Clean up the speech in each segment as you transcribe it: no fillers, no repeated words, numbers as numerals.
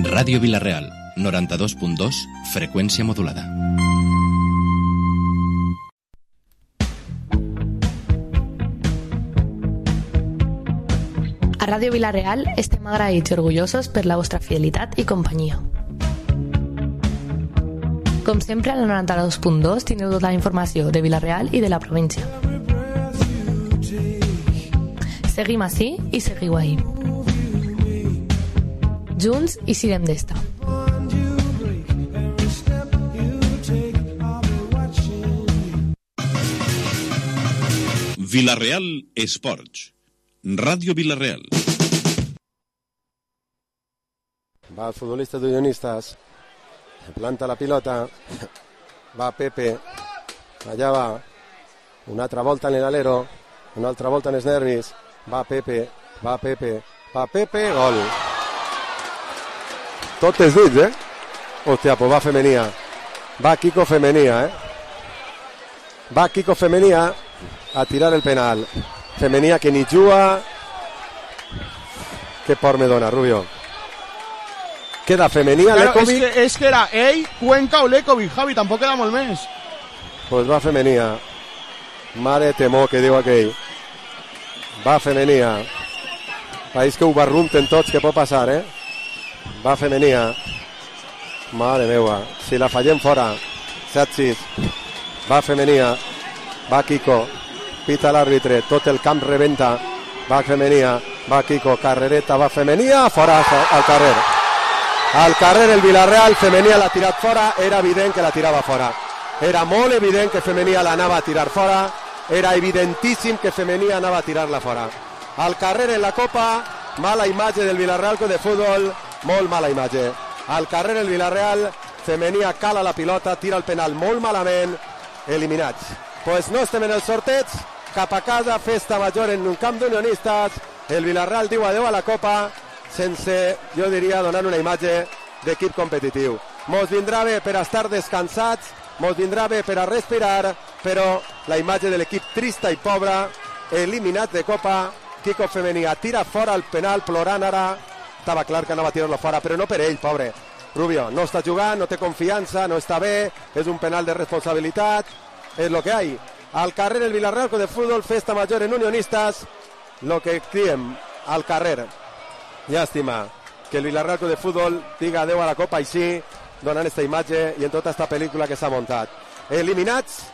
Ràdio Vila-real, 92.2, freqüència modulada. A Ràdio Vila-real estem agraïts i orgullosos per la vostra fidelitat i companyia. Com sempre, a la 92.2 tindreu tota la informació de Vila-real i de la província. Seguim ací i seguiu ahí. Junts i sirem d'esta. Vila-real Esports. Ràdio Vila-real. Va el futbolista d'Unionistas. Planta la pilota. Va Pepe. Allà va. Una altra volta en l'alero. Una altra volta en els nervis. Va Pepe. Va Pepe. Va Pepe. Gol. Tot és dit, Hòstia, pues va Femenia. Va Kiko Femenia, Va Kiko Femenia a tirar el penal. Femenia que ni juga. Què por me dona, Rubio. Queda Femenia, claro, Lekovic. és que era ell, Cuenca o Lekovic, Javi, tampoc queda molt més. Pues va Femenia. Mare temor, que diu aquell. Va Femenia. País que ho barrunten tots, que pot passar, Va Femenia. Mare meua. Si la fallem fora. 7-6. Va Femenia. Va Kiko. Pita l'àrbitre. Tot el camp rebenta. Va Femenia. Va Kiko. Carrereta. Va Femenia. Fora al carrer. Al carrer el Vila-real. Femenia l'ha tirat fora. Era evident que la tirava fora. Era molt evident que Femenia l'anava a tirar fora. Era evidentíssim que Femenia anava a tirar-la fora. Al carrer en la Copa. Mala imatge del Vila-real de futbol. Molt mala imatge. Al carrer el Vila-real. Femenia cala la pilota. Tira el penal molt malament. Eliminats. Pues no estem en el sorteig. Cap a casa. Festa major en un camp d'unionistes. El Vila-real diu adeu a la Copa sense, jo diria, donar una imatge d'equip competitiu. Mos vindrà bé per a estar descansats. Mos vindrà bé per a respirar. Però la imatge de l'equip trista i pobra. Eliminat de Copa. Kiko Femenia tira fora el penal plorant ara. Estava clar que anava a tirar-lo fora, però no per ell, pobre. Rubio, no està jugant, no té confiança, no està bé, és un penal de responsabilitat, és lo que hay. Al carrer el Vila-real de futbol, festa major en unionistas, lo que diem al carrer. Llàstima que el Vila-real de futbol diga adeu a la Copa així, donant esta imatge i en tota esta pel·lícula que s'ha muntat. Eliminats,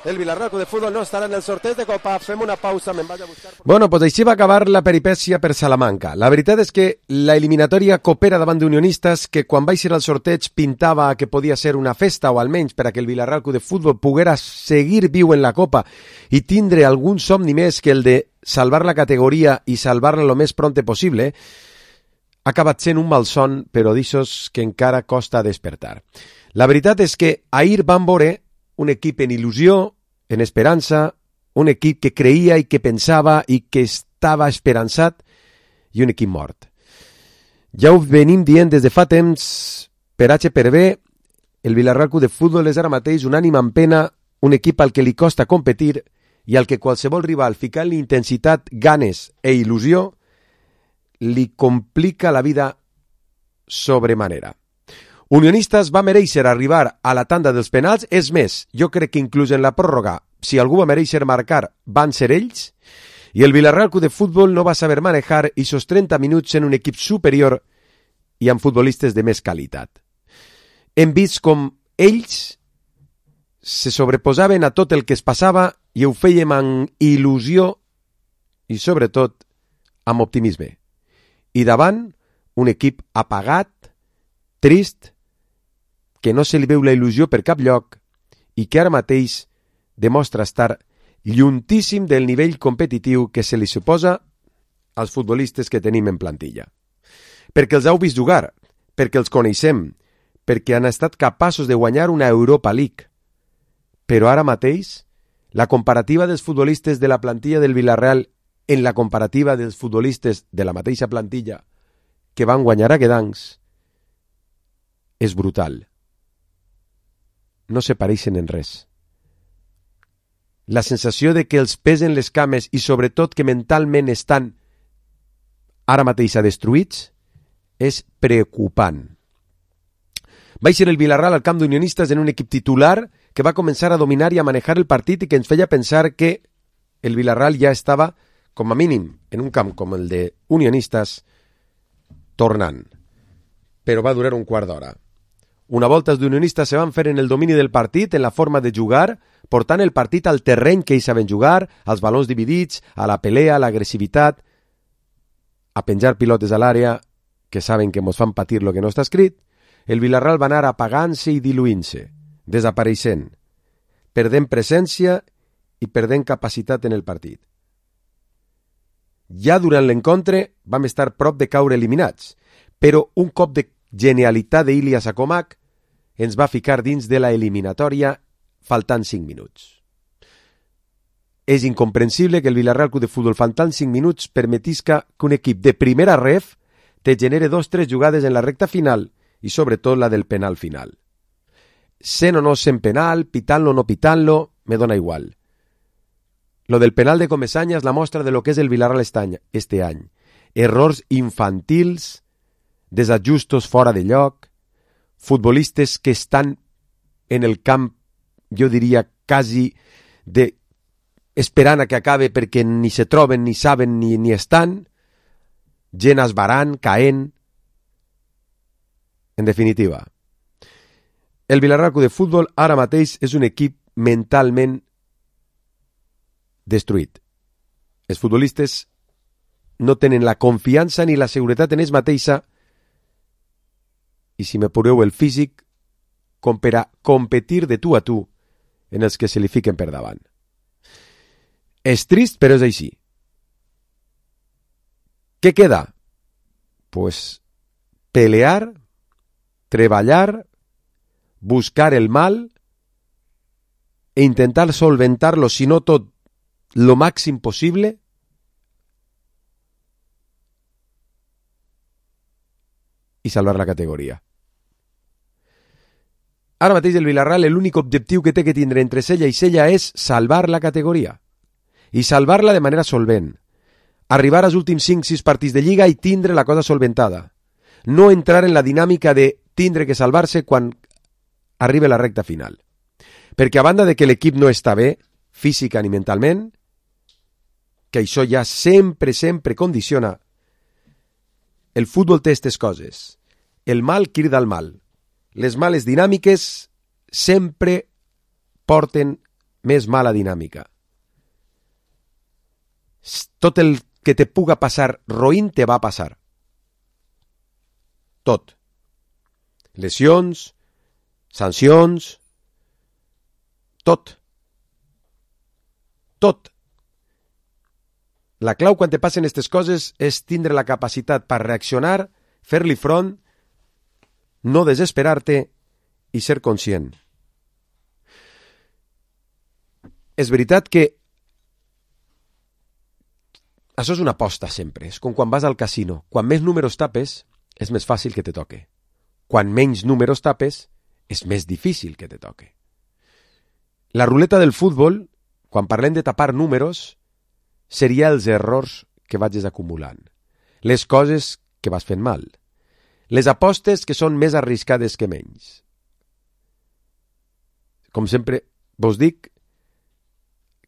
el Vila-real de futbol no estarà en el sorteig de Copa. Fem una pausa, me'n vaig a buscar... Bueno, pues així va acabar la peripècia per Salamanca. La veritat és que la eliminatòria coopera davant d'unionistes, que quan va ser al sorteig pintava que podia ser una festa, o almenys per a que el Vila-real de futbol poguera seguir viu en la Copa i tindre algun somni més que el de salvar la categoria i salvar-la lo més pronte possible, ha acabat sent un malson, però d'ixos que encara costa despertar. La veritat és que ahir van veure un equip en il·lusió, en esperança, un equip que creia i que pensava i que estava esperançat, i un equip mort. Ja ho venim dient des de fa temps, per H per B, el Vila-real de futbol és ara mateix un ànim en pena, un equip al que li costa competir i al que qualsevol rival ficant-li intensitat, ganes e il·lusió li complica la vida sobremanera. Unionistes va mereixer arribar a la tanda dels penals, és més, jo crec que inclús en la pròrroga, si algú va mereixer marcar, van ser ells, i el Vila-real de futbol no va saber manejar aquests 30 minuts en un equip superior i amb futbolistes de més qualitat. Hem vist com ells se sobreposaven a tot el que es passava i ho fèiem amb il·lusió i, sobretot, amb optimisme. I davant, un equip apagat, trist, que no se li veu la il·lusió per cap lloc i que ara mateix demostra estar lluntíssim del nivell competitiu que se li suposa als futbolistes que tenim en plantilla. Perquè els heu vist jugar, perquè els coneixem, perquè han estat capaços de guanyar una Europa League. Però ara mateix, la comparativa dels futbolistes de la plantilla del Vila-real en la comparativa dels futbolistes de la mateixa plantilla que van guanyar a Guedancs és brutal. No se pareixen en res. La sensació de que els pesen les cames i sobretot que mentalment estan ara mateix destruïts és preocupant. Va ser el Villarreal al camp d'Unionistes en un equip titular que va començar a dominar i a manejar el partit i que ens feia pensar que el Villarreal ja estava, com a mínim, en un camp com el de Unionistes, tornant. Però va durar un quart d'hora. Una volta els d'Unionistes se van fer en el domini del partit, en la forma de jugar, portant el partit al terreny que ells saben jugar, als balons dividits, a la pelea, a l'agressivitat, a penjar pilotes a l'àrea, que saben que mos fan patir lo que no està escrit. El Villarreal va anar apagant-se i diluint-se, desapareixent, perdent presència i perdent capacitat en el partit. Ja durant l'encontre vam estar prop de caure eliminats, però un cop de genialitat d'Ilias Akomak ens va ficar dins de la eliminatòria faltant 5 minuts. És incomprensible que el Villarreal Club de Futbol faltant 5 minuts permetisca que un equip de primera ref te genere 2-3 jugades en la recta final i sobretot la del penal final. Sent o no sent penal, pitant-lo o no pitant-lo, me dona igual. Lo del penal de Comesaña és la mostra de lo que és el Villarreal este any. Errors infantils, desajustos fora de lloc, futbolistes que estan en el camp, jo diria, quasi esperant a que acabe perquè ni se troben, ni saben, ni estan, gent esbarant, caent. En definitiva, el Villarreal Club de Futbol ara mateix és un equip mentalment destruït. Els futbolistes no tenen la confiança ni la seguretat en ells mateixa i, si m'apureu, el físic com per a competir de tu a tu en els que se li fiquen per davant. És trist, però és així. Què queda? Pues pelear, treballar, buscar el mal e intentar solventar-lo, si no tot, lo màxim possible i salvar la categoria. Ara mateix el Villarreal l'únic objectiu que té que tindre entre cella i cella és salvar la categoria i salvar-la de manera solvent. Arribar als últims 5-6 partits de Lliga i tindre la cosa solventada. No entrar en la dinàmica de tindre que salvar-se quan arriba la recta final. Perquè a banda de que l'equip no està bé, física ni mentalment, que això ja sempre condiciona, el futbol té aquestes coses. El mal crida al mal. Les males dinàmiques sempre porten més mala dinàmica. Tot el que te puga passar roïn te va a passar. Tot. Lesions, sancions, tot. Tot. La clau quan te passen aquestes coses és tindre la capacitat per reaccionar, fer-li front, no desesperar-te i ser conscient. És veritat que això és una aposta sempre, és com quan vas al casino. Quan més números tapes, és més fàcil que te toque. Quan menys números tapes, és més difícil que te toque. La ruleta del futbol, quan parlem de tapar números, seria els errors que vagis acumulant, les coses que vas fent mal, les apostes que són més arriscades que menys. Com sempre vos dic,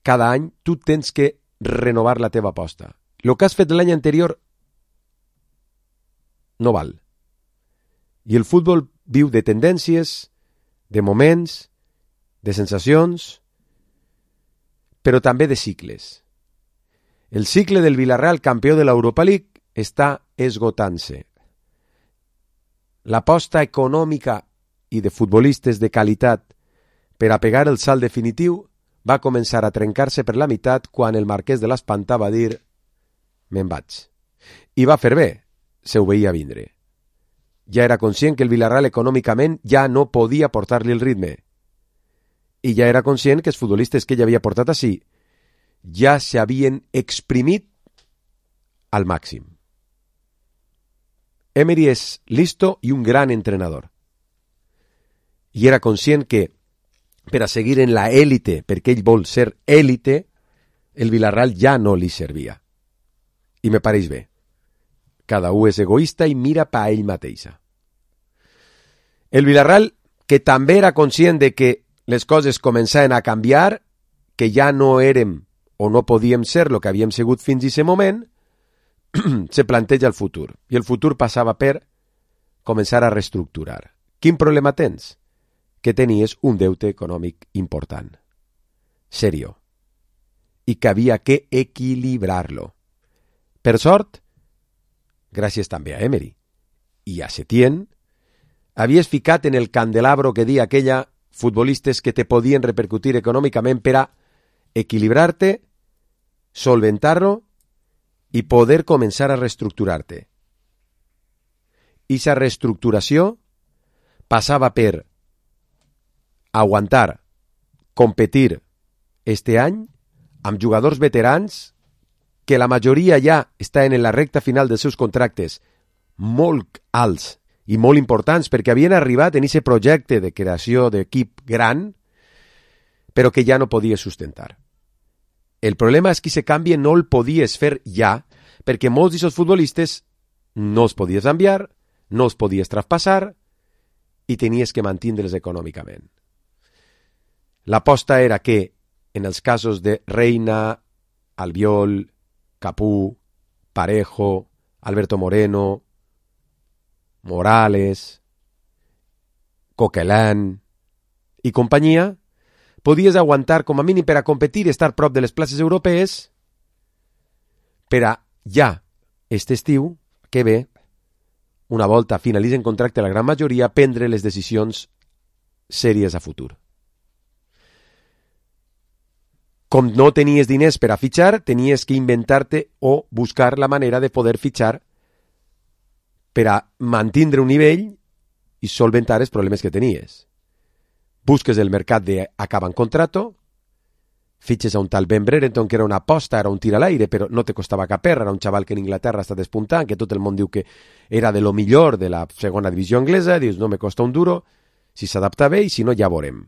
cada any tu tens que renovar la teva aposta. El que has fet l'any anterior no val. I el futbol viu de tendències, de moments, de sensacions, però també de cicles. El cicle del Villarreal, campió de l'Europa League, està esgotant-se. L'aposta econòmica i de futbolistes de qualitat per a pegar el salt definitiu va començar a trencar-se per la meitat quan el marquès de l'Espantà va dir «me'n vaig». I va fer bé, se ho veia vindre. Ja era conscient que el Villarreal econòmicament ja no podia portar-li el ritme. I ja era conscient que els futbolistes que ell havia portat ací ja s'havien exprimit al màxim. Emery és listo i un gran entrenador. I era conscient que per a seguir en la élite, perquè ell vol ser élite, el Villarreal ja no li servia. I me pareix bé. Cada un és egoista i mira pa ell mateixa. El Villarreal, que també era conscient de que les coses començaven a canviar, que ja no érem o no podíem ser el que havíem sigut fins a aquest moment, se planteja el futur. I el futur passava per començar a reestructurar. Quin problema tens? Que tenies un deute econòmic important. Serio. I que havia que equilibrar-lo. Per sort, gràcies també a Emery i a Setién, havies ficat en el candelabro que dia aquella futbolistes que te podien repercutir econòmicament per a equilibrar-te, solventar-lo i poder començar a reestructurar-te. I aquesta reestructuració passava per aguantar, competir este any amb jugadors veterans que la majoria ja estan en la recta final dels seus contractes molt alts i molt importants perquè havien arribat en aquest projecte de creació d'equip gran, però que ja no podies sustentar. El problema és que aquest canvi no el podies fer ja, perquè molts d'aquests futbolistes no els podies enviar, no els podies traspassar i tenies que mantindre'ls econòmicament. L'aposta era que, en els casos de Reina, Albiol, Capú, Parejo, Alberto Moreno, Morales, Coquelin i companyia, podies aguantar com a mínim per a competir i estar prop de les places europees per a ja, este estiu, que ve, una volta finalitzen contracte la gran majoria, prendre les decisions sèries a futur. Com no tenies diners per a fitxar, tenies que inventar-te o buscar la manera de poder fitxar per a mantindre un nivell i solventar els problemes que tenies. Busques el mercat d'acabar en contrato, fitxes a un tal Ben Brereton, que era una aposta, era un tir a l'aire, però no te costava cap erra, era un xaval que en Inglaterra està despuntant, que tot el món diu que era de lo millor de la segona divisió anglesa, dius, no me costa un duro, si s'adapta bé i si no ja veurem.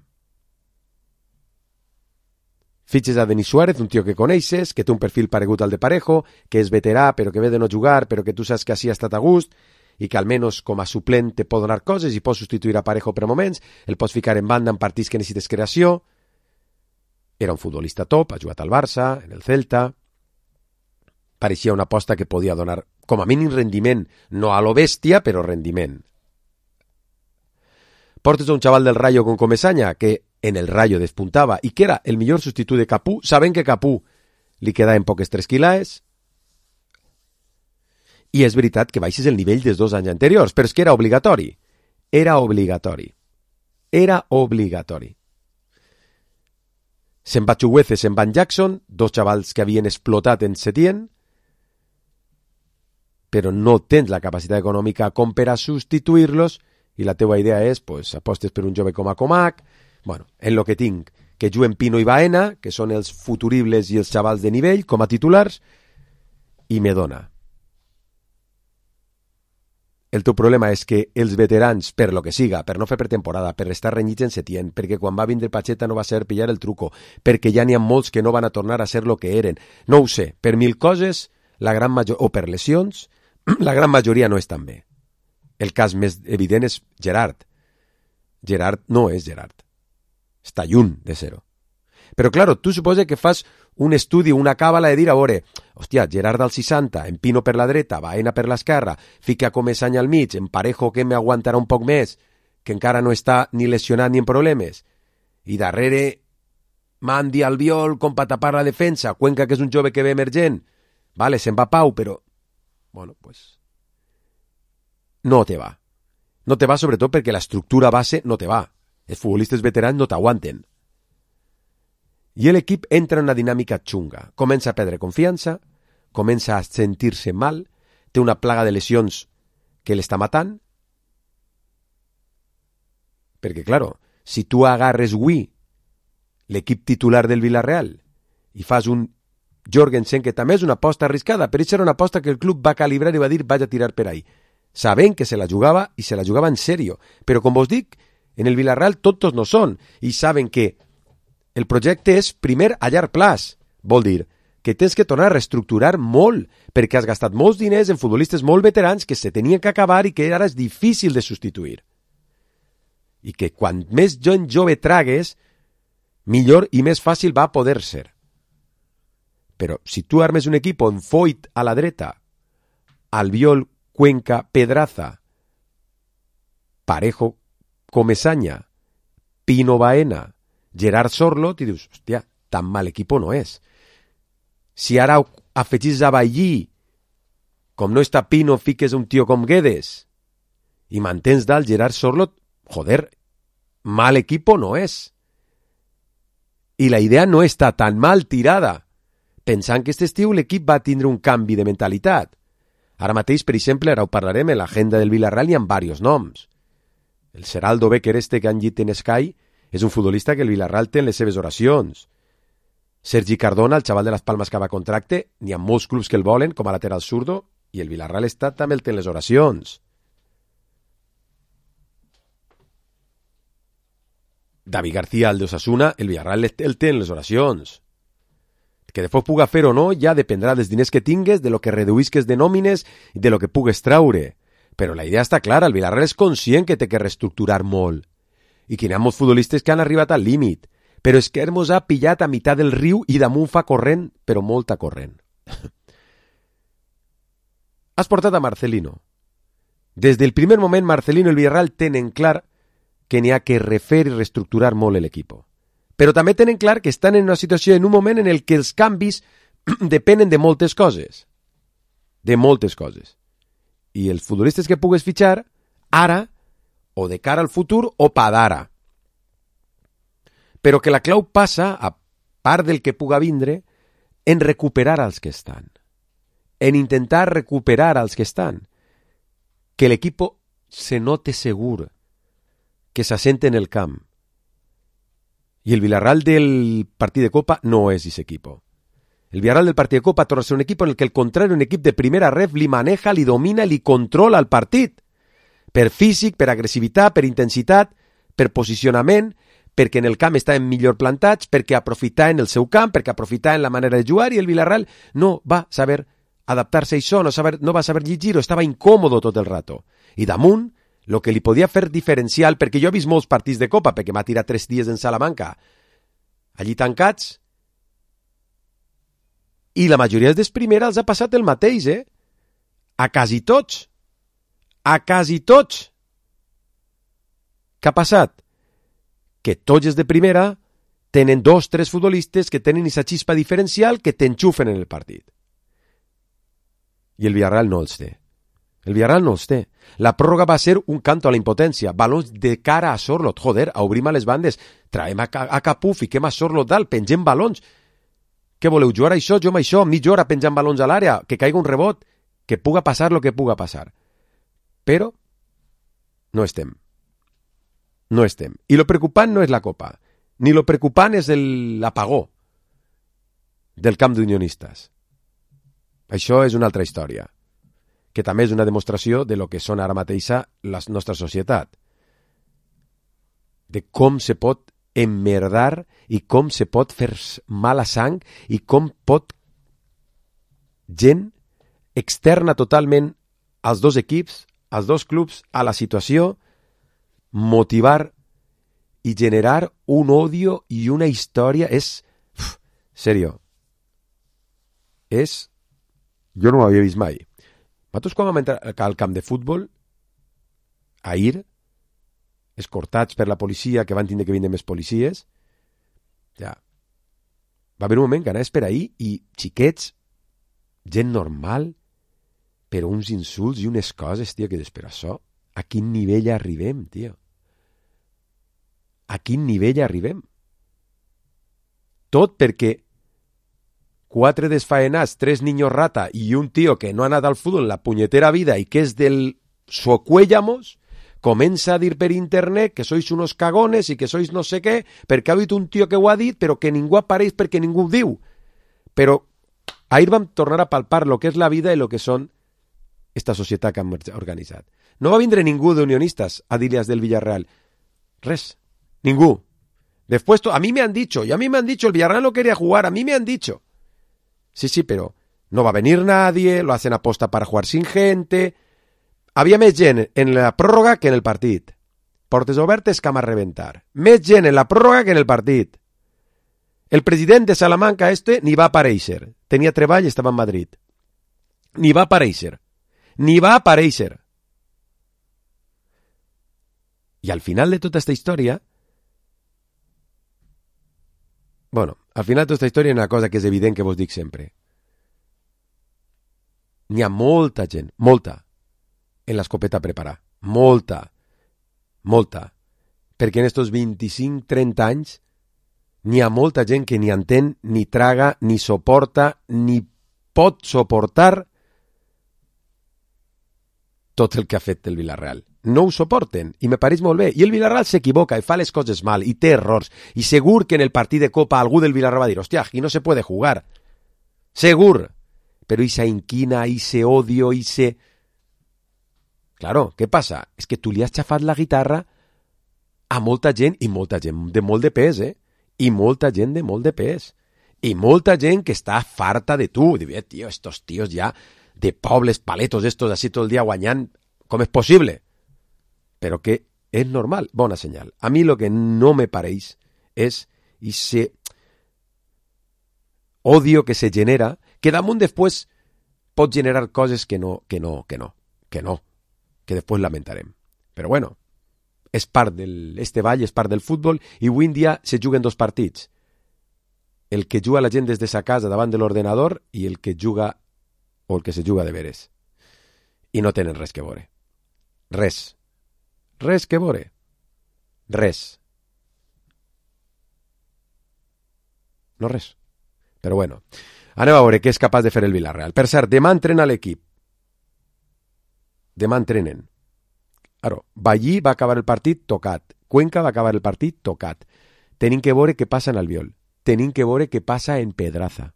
Fitxes a Denis Suárez, un tio que coneixes, que té un perfil paregut al de Parejo, que és veterà però que ve de no jugar, però que tu saps que així ha estat a gust, i que almenys com a suplent te pot donar coses i pots substituir a Parejo per moments, el pots ficar en banda en partits que necessites creació. Era un futbolista top, ha jugat al Barça, en el Celta. Pareixia una aposta que podia donar com a mínim rendiment, no a lo bèstia, però rendiment. Portes a un xaval del Rayo con Comesaña, que en el Rayo despuntava i que era el millor substitut de Capú, sabent que Capú li quedaven poques 3 quilaes, i és veritat que baixes el nivell dels 2 anys anteriors, però és que era obligatori. Era obligatori. Era obligatori. Se'n va Chuguece, se'n van Jackson, 2 xavals que havien explotat en Setién, però no tens la capacitat econòmica com per a substituir-los i la teua idea és, pues, apostes per un jove com a Comac, bueno, en lo que tinc, que juguen Pino i Baena, que són els futuribles i els xavals de nivell com a titulars, i me dona. El teu problema és que els veterans, per lo que siga, per no fer pretemporada, per estar renyits en Setién, perquè quan va vindre Pacheta no va ser pillar el truco, perquè ja n'hi ha molts que no van a tornar a ser lo que eren. No ho sé, per 1000 coses, o per lesions, la gran majoria no estan bé. El cas més evident és Gerard. Gerard no és Gerard. Està lluny de ser-ho. Però, claro, tu suposa que fas un estudi, una càbala de dir, a veure, hòstia, Gerard al 60, en Pino per la dreta, Baena per l'esquerra, fica Comesaña al mig, en Parejo que m'aguantarà un poc més, que encara no està ni lesionat ni en problemes, i darrere Mandi Albiol com per tapar la defensa, Cuenca que és un jove que ve emergent, vale, se'n va Pau, però, bueno, pues, no te va. No te va sobretot perquè l'estructura base no te va. Els futbolistes veterans no t'aguanten. I l'equip entra en una dinàmica xunga. Comença a perdre confiança, comença a sentir-se mal, té una plaga de lesions que l'està matant. Perquè, claro, si tu agarres avui l'equip titular del Villarreal i fas un Jorgensen, que també és una aposta arriscada, però això era una aposta que el club va calibrar i va dir vaig a tirar per ahí. Sabent que se la jugava i se la jugava en sèrio. Però, com vos dic, en el Villarreal tots no són i saben que el projecte és primer a llarg plaç. Vol dir que tens que tornar a reestructurar molt perquè has gastat molts diners en futbolistes molt veterans que se tenien que acabar i que ara és difícil de substituir. i que quan més gent jove tragues, millor i més fàcil va poder ser. Però si tu armes un equip on Foyt a la dreta, Albiol, Cuenca, Pedraza, Parejo, Comesaña, Pino Baena, Gerard Sorlot, i dius, hòstia, tan mal equipo no és. Si ara afegis a Ballí, com no està Pino, fiques un tio com Guedes, i mantens dalt Gerard Sorlot, joder, mal equipo no és. I la idea no està tan mal tirada, pensant que aquest estiu l'equip va tindre un canvi de mentalitat. Ara mateix, per exemple, ara ho parlarem, en l'agenda del Villarreal hi ha diversos noms. El Seraldo Becker que han llit en Sky és un futbolista que el Villarreal té en les seves oracions. Sergi Cardona, el xaval de les Palmes que va a contracte, n'hi ha molts clubs que el volen com a lateral zurdo i el Villarreal està també el té en les oracions. David García, el d'Osasuna, el Villarreal el té en les oracions. Que després puga fer o no ja dependrà dels diners que tingues, de lo que reduïsques de nòmines i de lo que pugues traure. Però la idea està clara, el Villarreal és conscient que té que reestructurar molt i que hi ha molts futbolistes que han arribat al límit, però és que Hermos ha pillat a meitat del riu i damunt fa corrent, però molta corrent. Has portat a Marcelino. Des del primer moment Marcelino i el Villarreal tenen clar que n'hi ha que refer i reestructurar molt l'equip. Però també tenen clar que estan en una situació, en un moment en el que els canvis depenen de moltes coses. De moltes coses. I els futbolistes que pugues fitxar, ara, o de cara al futur, o pa d'ara. Però que la clau passa, a part del que puga vindre, en recuperar els que estan. En intentar recuperar els que estan. Que l'equip se note segur, que s'assente en el camp. I el Villarreal del partit de Copa no és ese equipo. El Villarreal del partit de Copa torna a ser un equip en el que el contrari, un equip de primera ref, li maneja, li domina, li controla el partit. Per físic, per agressivitat, per intensitat, per posicionament, perquè en el camp estaven millor plantats, perquè aprofitar en el seu camp, perquè aprofitar en la manera de jugar, i el Villarreal no va saber adaptar-se a això, no va saber llegir-ho, estava incòmodo tot el rato. I damunt, el que li podia fer diferencial, perquè jo he vist molts partits de Copa, perquè m'ha tirat 3 dies en Salamanca, allí tancats, i la majoria dels primera els ha passat el mateix, A quasi tots. A quasi tots. Què ha passat? Que tots els de primera tenen 2-3 futbolistes que tenen aquesta xispa diferencial que t'enxufen en el partit. I el Villarreal no els té. El Villarreal no els té. La pròrroga va ser un canto a la impotència. Balons de cara a Sorlot. Joder, obrim a les bandes. Traiem a Capú, fiquem a Sorlot dalt, pengem balons. Què voleu, jugar a això, jo amb això, mitja hora penjant balons a l'àrea, que caiga un rebot, que puga passar el que puga passar. Però no estem. No estem. I lo preocupant no és la Copa, ni lo preocupant és l'apagó del camp d'unionistes. Això és una altra història, que també és una demostració de lo que són ara mateixa la nostra societat. De com se pot emmerdar i com se pot fer mala sang i com pot gent externa totalment als dos equips, als dos clubs, a la situació, motivar i generar un odio i una història. És... serio. És... jo no ho havia vist mai. Nosaltres quan vam entrar al camp de futbol, ahir, escortats per la policia, que van tindre que vindre més policies, ja, va haver un moment que anaves per ahir i xiquets, gent normal, però uns insults i unes coses, tio, que després això, a quin nivell arribem, tio? A quin nivell arribem? Tot perquè 4 desfaenats, 3 niños rata i un tio que no ha anat al futbol en la punyetera vida i que és del Socuéllamos, comença a dir per internet que sois unos cagones i que sois no sé què, perquè ha dit un tio que ho ha dit, però que ningú apareix perquè ningú ho diu. Però ahir vam tornar a palpar lo que és la vida i lo que són esta societat que hem organitzat. No va vindre ningú d'unionistas a dir-les del Villarreal. Res. Ningú. Después, a mí me han dicho, y a mí me han dicho, el Villarreal no quería jugar, a mí me han dicho. Sí, pero no va a venir nadie, lo hacen aposta para jugar sin gente. Había més gent en la pròrroga que en el partit. portes obertes cam a rebentar. Més gent en la pròrroga que en el partit. El president de Salamanca ni va aparèixer. Tenia treball i estava en Madrid. Ni va aparèixer. I al final de tota aquesta història... al final de tota aquesta història hi ha una cosa que és evident que vos dic sempre. N'hi ha molta gent, molta, en l'escopeta a preparar. Molta. Perquè en estos 25-30 anys n'hi ha molta gent que ni entén, ni traga, ni suporta, ni pot suportar tot el que ha fet el Villarreal. No ho suporten, i me pareix molt bé. I el Villarreal s'equivoca i fa les coses mal, i té errors. I segur que en el partit de Copa algú del Villarreal va dir, hòstia, aquí no se puede jugar. Segur. Però esa inquina, ese odio, ese... Claro, què passa? És que tu li has xafat la guitarra a molta gent, i molta gent de molt de pes, I molta gent de molt de pes. I molta gent que està farta de tu. Diu, tío, estos tíos ya de pobles paletos estos así todo el día guanyant, com és possible? Però que és normal, bona senyal. A mi lo que no me pareix és ese odio que se genera, que damunt després pot generar coses que després lamentarem. Però bueno, és part este ball, és part del futbol, i avui en dia se juguen dos partits. El que juga la gent des de sa casa davant de l'ordenador i el que juga o el que se juga de veres. I no tenen res que veure. Res que veure. Res. No res. Però bueno, anem a veure què és capaç de fer el Villarreal. Per cert, demà entrena l'equip. Demà entrenen. Claro, Ballí va acabar el partit tocat. Cuenca va acabar el partit tocat. Tenim que veure què passa en Albiol. Tenim que veure què passa en Pedraza.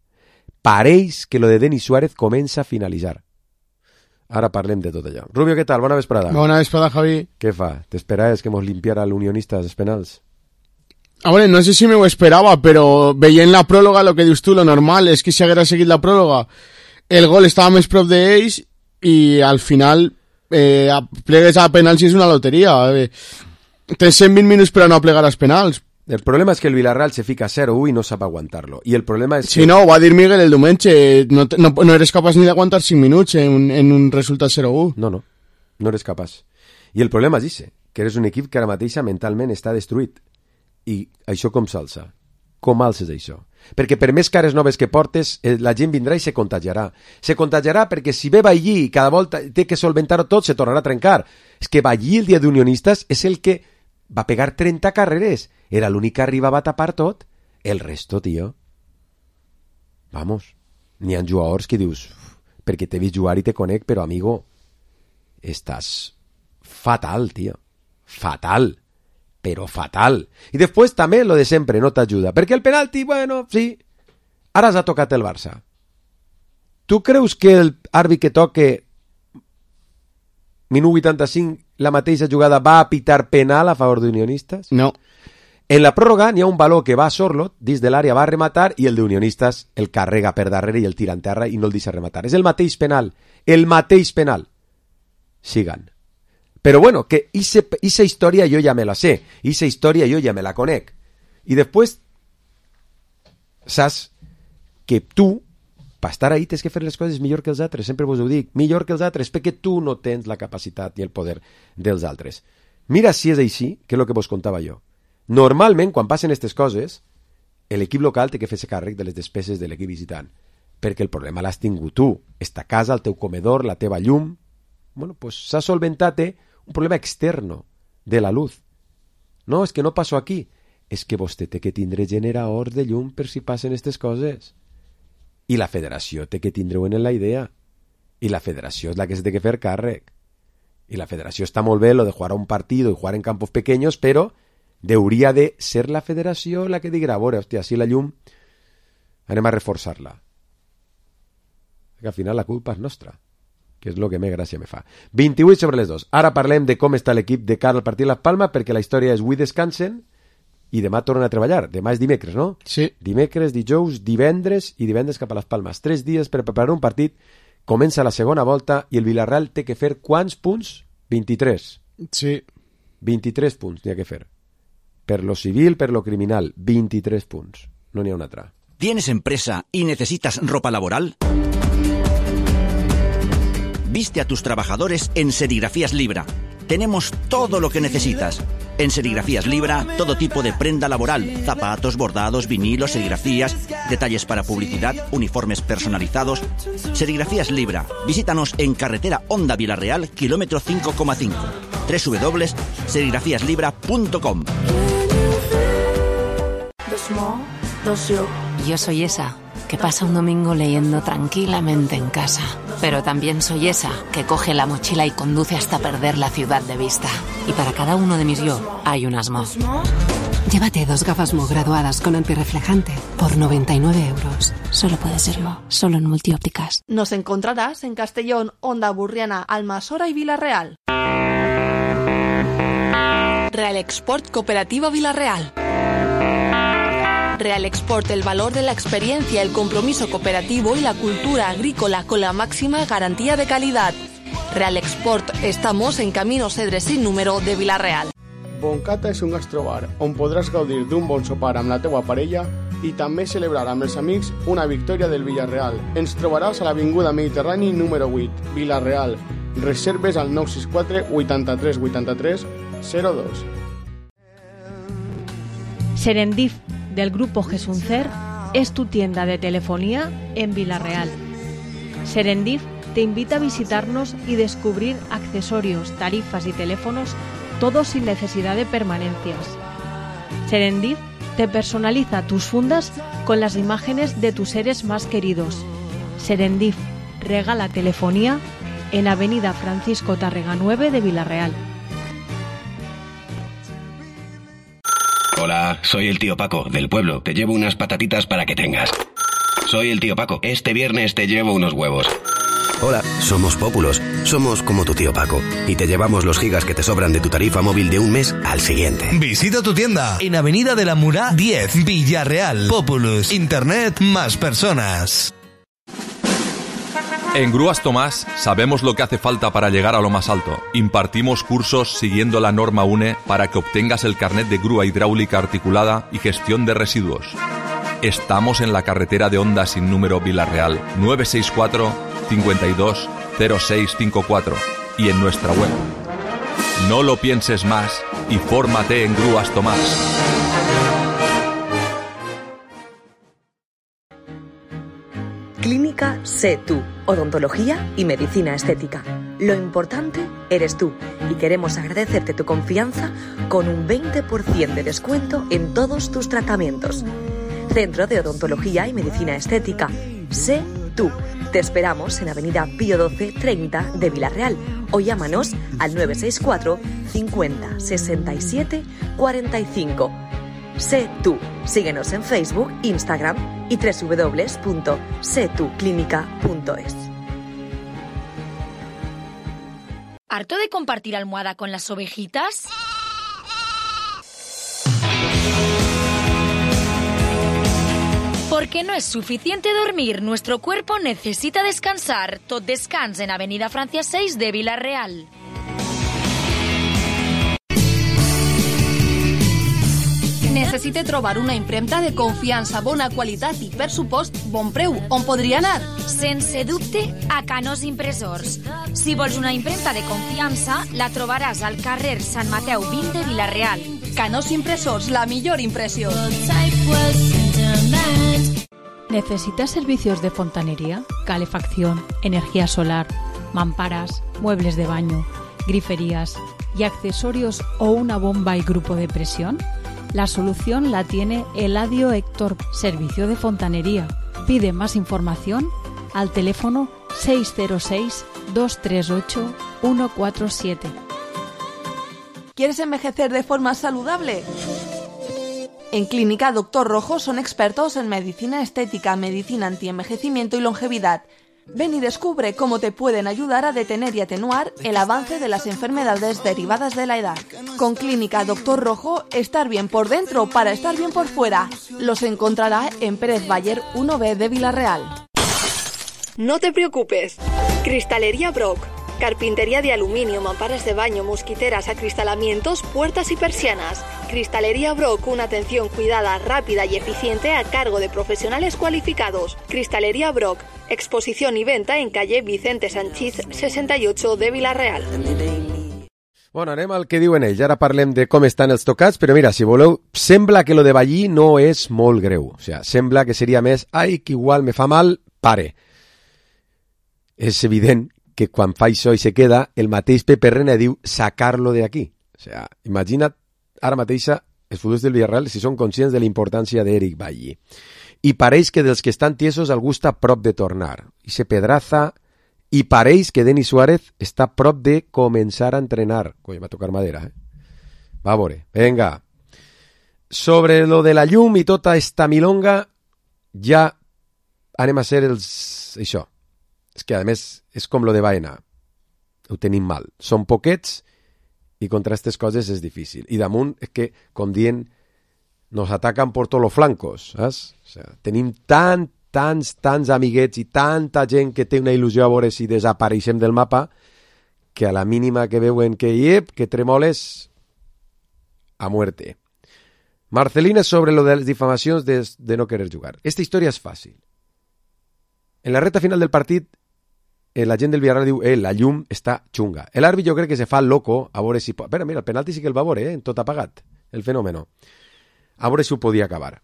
Pareix que lo de Denis Suárez comença a finalitzar. Ara parlem de tot allò. Rubio, què tal? Bona vesprada. Bona vesprada, Javi. Què fa? T'esperaves que mos limpiara l'Unionistas els penals? A veure, no sé si m'ho esperava, però veient la pròloga, lo que dius tu, lo normal és que si haguera seguit la pròloga, el gol estava més prop d'ells i al final plegues a penals i és una loteria. Tens 120 minuts per a no plegar als penals. El problema és que el Villarreal se fica 0-1 i no sap aguantar-lo. I el problema és que... Si no, ho va dir Miguel el diumenge, no eres capaç ni d'aguantar 5 minuts en un resultat 0-1. No eres capaç. I el problema és ese, que eres un equip que ara mateixa mentalment està destruït. I això com s'alça? Com alces això? Perquè per més cares noves que portes, la gent vindrà i se contagiarà. Se contagiarà perquè si ve Ballí i cada volta té que solventar-ho tot, se tornarà a trencar. És que Ballí el dia d'Unionistas és el que va pegar 30 carreres. Era l'únic que arribava a tapar tot. El resto, tio. Vamos. N'hi ha jugadors que dius, perquè t'he vist jugar i te conec, però amigo, estàs fatal, tio. Fatal. Però fatal. I després també lo de sempre no t'ajuda, perquè el penalti, bueno, sí, ara s'ha tocat el Barça. Tu creus que el àrbit que toque minut 85 la mateixa jugada va a pitar penal a favor d'Unionistas? No. En la pròrroga n'hi ha un baló que va a Sorlot, dins de l'àrea va a rematar i el d'Unionistas el carrega per darrere i el tira en terra i no el deixa rematar. És el mateix penal. El mateix penal. Sigan. Però bueno, que esa història jo ja me la sé, esa història jo ja me la conec. I després saps que tu, per estar ahí, tens que fer les coses millor que els altres, sempre vos ho dic, millor que els altres, perquè tu no tens la capacitat ni el poder dels altres. Mira si és així, que és el que vos contava jo. Normalment, quan passen aquestes coses, l'equip local té que fer-se càrrec de les despeses de l'equip visitant, perquè el problema l'has tingut tu, esta casa, el teu comedor, la teva llum. Bueno, pues s'ha solventat un problema externo de la luz. No, és que no passo aquí. És que vostè té que tindre generadors de llum per si passen aquestes coses. I la federació té que tindre en la idea. I la federació és la que se té que fer càrrec. I la federació està molt bé lo de jugar a un partit i jugar en campos pequeños, però hauria de ser la federació la que diga, a veure, hòstia, si la llum anem a reforçar-la. Que al final la culpa és nostra, que és el que més gràcia me fa. 28 sobre les 2. Ara parlem de com està l'equip de cara al partit de Las Palmas, perquè la història és avui descansen i demà tornen a treballar. Demà és dimecres, no? Sí. Dimecres, dijous, divendres i divendres cap a Las Palmas. 3 dies per preparar un partit. Comença la segona volta i el Villarreal té que fer quants punts? 23. Sí. 23 punts n'hi ha que fer. Per lo civil, per lo criminal, 23 punts. No n'hi ha una altra. ¿Tienes empresa y necesitas ropa laboral? Viste a tus trabajadores en Serigrafías Libra. Tenemos todo lo que necesitas. En Serigrafías Libra, todo tipo de prenda laboral, zapatos, bordados, vinilos, serigrafías, detalles para publicidad, uniformes personalizados. Serigrafías Libra. Visítanos en carretera Honda Vilarreal, kilómetro 5,5. www.serigrafiaslibra.com. Yo soy esa que pasa un domingo leyendo tranquilamente en casa. Pero también soy esa que coge la mochila y conduce hasta perder la ciudad de vista. Y para cada uno de mis yo hay un Mo. Llévate 2 gafas Mo graduadas con antirreflejante por 99 euros. Solo puede ser Mo, solo en Multiópticas. Nos encontrarás en Castellón, Onda Burriana, Almasora y Vilarreal. Real Export Cooperativa Vilarreal. Real Export, el valor de la experiencia, el compromiso cooperativo y la cultura agrícola con la máxima garantía de calidad. Real Export, estamos en Camino Cedre sin número de Vilarreal. Boncata és un gastrobar on podràs gaudir d'un bon sopar amb la teua parella i també celebrar amb els amics una victòria del Villarreal. Ens trobaràs a l'Avinguda Mediterrani número 8, Vilarreal. Reserves al 964 83 83 02. Serendip, del grupo Gesuncer, es tu tienda de telefonía en Vilarreal. Serendip te invita a visitarnos y descubrir accesorios, tarifas y teléfonos, todos sin necesidad de permanencias. Serendip te personaliza tus fundas con las imágenes de tus seres más queridos. Serendip regala telefonía en Avenida Francisco Tárrega 9 de Vilarreal. Hola, soy el tío Paco, del pueblo. Te llevo unas patatitas para que tengas. Soy el tío Paco. Este viernes te llevo unos huevos. Hola, somos Pópulos. Somos como tu tío Paco. Y te llevamos los gigas que te sobran de tu tarifa móvil de un mes al siguiente. Visita tu tienda en Avenida de la Murá 10, Villarreal. Populus. Internet más personas. En Grúas Tomás sabemos lo que hace falta para llegar a lo más alto. Impartimos cursos siguiendo la norma UNE para que obtengas el carnet de grúa hidráulica articulada y gestión de residuos. Estamos en la carretera de Honda sin número Vilarreal, 964 52 0654 y en nuestra web. No lo pienses más y fórmate en Grúas Tomás. Clínica Sé Tú, odontología y medicina estética. Lo importante eres tú y queremos agradecerte tu confianza con un 20% de descuento en todos tus tratamientos. Centro de Odontología y Medicina Estética. Sé Tú. Te esperamos en Avenida Pío 12 30 de Vilarreal o llámanos al 964 50 67 45. Sé Tú. Síguenos en Facebook, Instagram y www.setuclinica.es. ¿Harto de compartir almohada con las ovejitas? Porque no es suficiente dormir, nuestro cuerpo necesita descansar. Tot Descans en Avenida Francia 6 de Vilarreal. Necessite trobar una impremta de confiança, bona qualitat i, per supost, bon preu. On podria anar? Sense dubte, a Canós Impressors. Si vols una impremta de confiança, la trobaràs al carrer Sant Mateu 20 de Vilarreal. Canós Impressors, la millor impressió. ¿Necesitas servicios de fontanería, calefacción, energía solar, mamparas, muebles de baño, griferías y accesorios o una bomba y grupo de presión? La solución la tiene Eladio Héctor, servicio de fontanería. Pide más información al teléfono 606-238-147. ¿Quieres envejecer de forma saludable? En Clínica Doctor Rojo son expertos en medicina estética, medicina antienvejecimiento y longevidad. Ven y descubre cómo te pueden ayudar a detener y atenuar el avance de las enfermedades derivadas de la edad. Con Clínica Doctor Rojo, estar bien por dentro para estar bien por fuera. Los encontrará en Pérez Bayer 1B de Vilarreal. No te preocupes. Cristalería Brock. Carpintería de aluminio, mamparas de baño, mosquiteras, acristalamientos, puertas y persianas. Cristalería Brock, una atención cuidada, rápida y eficiente a cargo de profesionales cualificados. Cristalería Brock, exposición y venta en calle Vicente Sanchís 68 de Vila-real. Bueno, anem al que diuen ells. Ara parlem de com estan els tocats, però mira, si voleu, sembla que lo de Ballí no és molt greu. O sea, sembla que seria més, ai, que igual me fa mal, pare. És evident que quan fa això i se queda, el mateix Pepe Reina diu sacar-lo de aquí. O sea, imagina't ara mateixa els futurs del Villarreal si són conscients de la importància d'Eric Ballí. I pareix que dels que estan tiesos algú està a prop de tornar. I se Pedraza, i pareix que Denis Suárez està a prop de començar a entrenar. Coi, va tocar madera, Va a veure, venga. Sobre lo de la llum i tota esta milonga, ja anem a ser els... Això. És que, a més, és com lo de Baena. Ho tenim mal. Són poquets i contra aquestes coses és difícil. I damunt és que, com dient, nos atacan por todos los flancos, saps? O sea, tenim tants amiguets i tanta gent que té una il·lusió a veure si desapareixem del mapa que a la mínima que veuen que tremoles a muerte. Marcelina sobre lo de les difamacions de no querer jugar. Esta història és fàcil. En la recta final del partit la gent del Villarreal diu la llum està xunga. L'àrbit jo crec que se fa loco a veure si... Espera, mira, el penalti sí que el va veure, en tot apagat, el fenòmeno. A veure si ho podia acabar.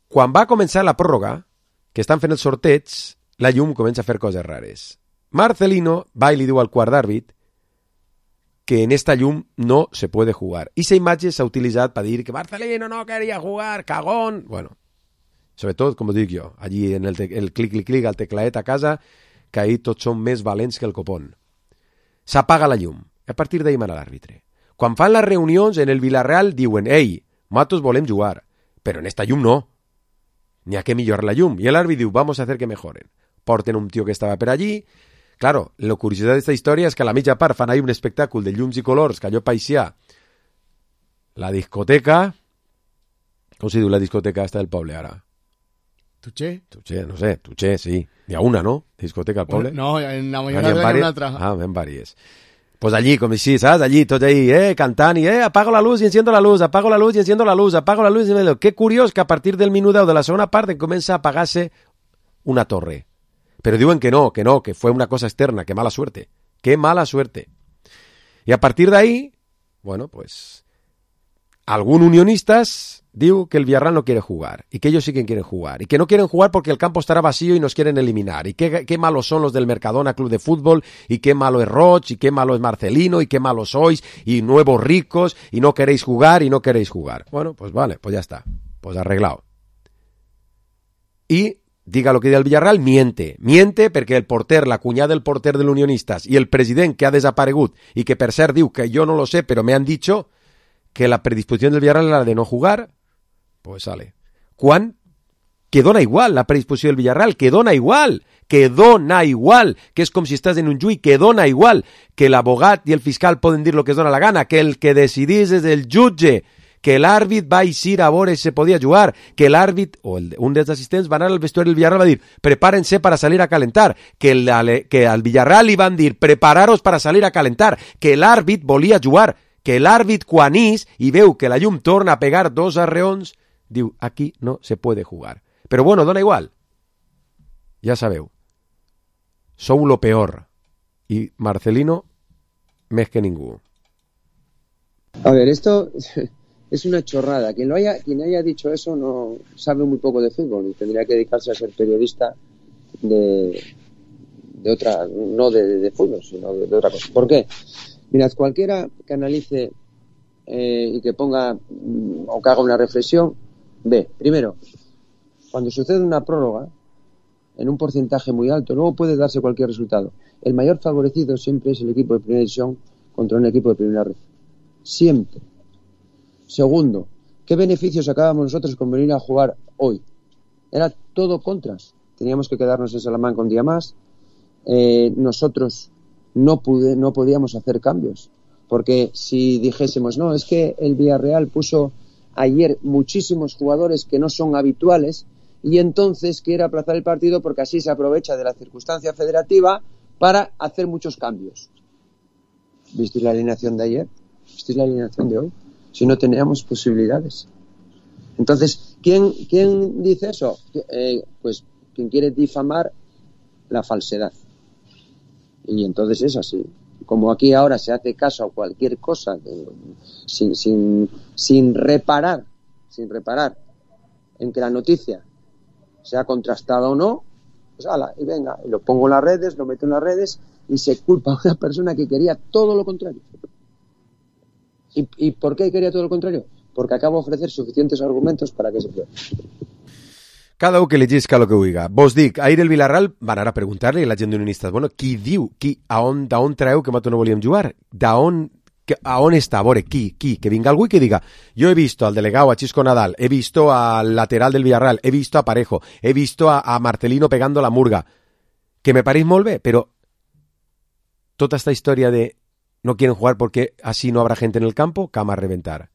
Quan va començar la pròrroga, que estan fent el sorteig, la llum comença a fer coses rares. Marcelino va i li diu al quart d'àrbit que en esta llum no se puede jugar. I esa imatge s'ha utilitzat per dir que Marcelino no quería jugar, cagón. Bueno, sobretot, com dic jo, allí en el clic, al teclaet a casa, que ahir tots són més valents que el copón. S'apaga la llum. A partir d'ahir mana l'àrbitre. Quan fan les reunions en el Villarreal diuen «Ei, nosaltres volem jugar, però en esta llum no. N'hi ha que millorar la llum». I l'àrbit diu «Vamos a hacer que mejoren». Porten un tio que estava per allí. Claro, la curiositat d'esta història és que a la mitja part fan ahí un espectacle de llums i colors que allò paixia la discoteca. Com se diu la discoteca esta del poble ara? Tuché, no sé, Tuché, sí. Hi ha una, no? Discoteca al poble. No, en la mayoría de una altra. Ah, en varias. Pues allí, com així, saps? Allí, tots ahí, cantant i, apago la luz i enciendo la luz, apago la luz i enciendo la luz, apago la luz i enciendo la luz. Qué curiós que a partir del minut 10 de la segona part comença a apagar-se una torre. Pero diuen que no, que fue una cosa externa, que mala suerte. Qué mala suerte. Y a partir de ahí, bueno, pues, algún unionistas diu que el Villarreal no quiere jugar, y que ellos sí que quieren jugar, y que no quieren jugar porque el campo estará vacío y nos quieren eliminar, y qué malos son los del Mercadona Club de Fútbol, y qué malo es Roch, y qué malo es Marcelino, y qué malos sois, y nuevos ricos, y no queréis jugar, y no queréis jugar. Bueno, pues vale, pues ya está, pues arreglado. Y diga lo que diga el Villarreal, miente perquè el porter, la cunyada del porter del Unionistas y el president que ha desaparegut y que per cert diu que yo no lo sé, pero me han dicho que la predisposición del Villarreal era de no jugar, pues sale. Quan? Que dona igual la predisposició del Villarreal, que dona igual, que és com si estàs en un juí, que dona igual, que l'abogat i el fiscal poden dir lo que es dona la gana, que el que decidís és el jutge, que l'àrbit va eixir a veure si se podia jugar, que l'àrbit, o un dels assistents va anar al vestuari del Villarreal i va dir, prepárense para salir a calentar, que al Villarreal li van dir, prepararos para salir a calentar, que l'àrbit volia jugar, que l'àrbit quan ix i veu que la llum torna a pegar dos arreons, diu, aquí no se puede jugar. Pero bueno, dona igual. Ya sabeu. Sou lo peor. Y Marcelino, més que ningú. A ver, esto es una chorrada. Quien haya dicho eso no sabe muy poco de fútbol y tendría que dedicarse a ser periodista de otra, no de fútbol, sino de otra cosa. ¿Por qué? Mirad, cualquiera que analice y que ponga o que haga una reflexión, ve, primero, cuando sucede una prórroga, en un porcentaje muy alto, luego puede darse cualquier resultado. El mayor favorecido siempre es el equipo de primera división contra un equipo de primera red. Siempre. Segundo, ¿qué beneficios sacábamos nosotros con venir a jugar hoy? Era todo contras. Teníamos que quedarnos en Salamanca un día más. Nosotros no podíamos hacer cambios. Porque si dijésemos, no, es que el Villarreal puso ayer muchísimos jugadores que no son habituales y entonces quiere aplazar el partido porque así se aprovecha de la circunstancia federativa para hacer muchos cambios. ¿Visteis la alineación de ayer? ¿Visteis la alineación de hoy? Si no teníamos posibilidades. Entonces, ¿quién dice eso? Pues quien quiere difamar la falsedad. Y entonces es así. Como aquí ahora se hace caso a cualquier cosa sin reparar en que la noticia sea contrastada o no, pues ala, y venga, y lo pongo en las redes, lo meto en las redes y se culpa a una persona que quería todo lo contrario. ¿Y por qué quería todo lo contrario? Porque acabo de ofrecer suficientes argumentos para que se pueda. Cada un que llegisca el que oiga. Vos dic, ahir el Villarreal van ara a preguntar-li a la gent d'unionistes, bueno, qui diu, d'on treu que nosaltres no volíem jugar? A on està? A veure, qui? Que vinga algú i que diga, yo he visto al delegado, a Chisco Nadal, he visto al lateral del Villarreal, he visto a Parejo, he visto a Marcelino pegando la murga, que me pareix molt bé, però tota esta història de no quieren jugar porque así no habrá gente en el campo, cama a reventar.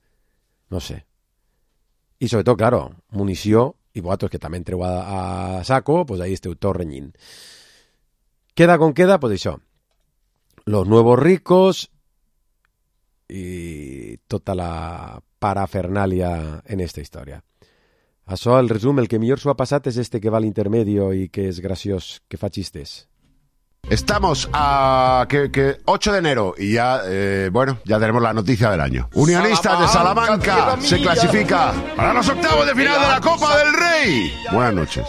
No sé. Y sobre todo, claro, munició, y vosotros que también entreu a saco, pues ahí esteu tot renyint. Queda con queda, pues això. Los nuevos ricos y tota la parafernalia en esta història. Això, el resum, el que millor s'ho ha passat és este que va a l'intermedio y que és graciós, que fa chistes. Estamos a 8 de enero y ya, ya tenemos la noticia del año. Unionistas de Salamanca se clasifica para los octavos de final de la Copa del Rey. Buenas noches.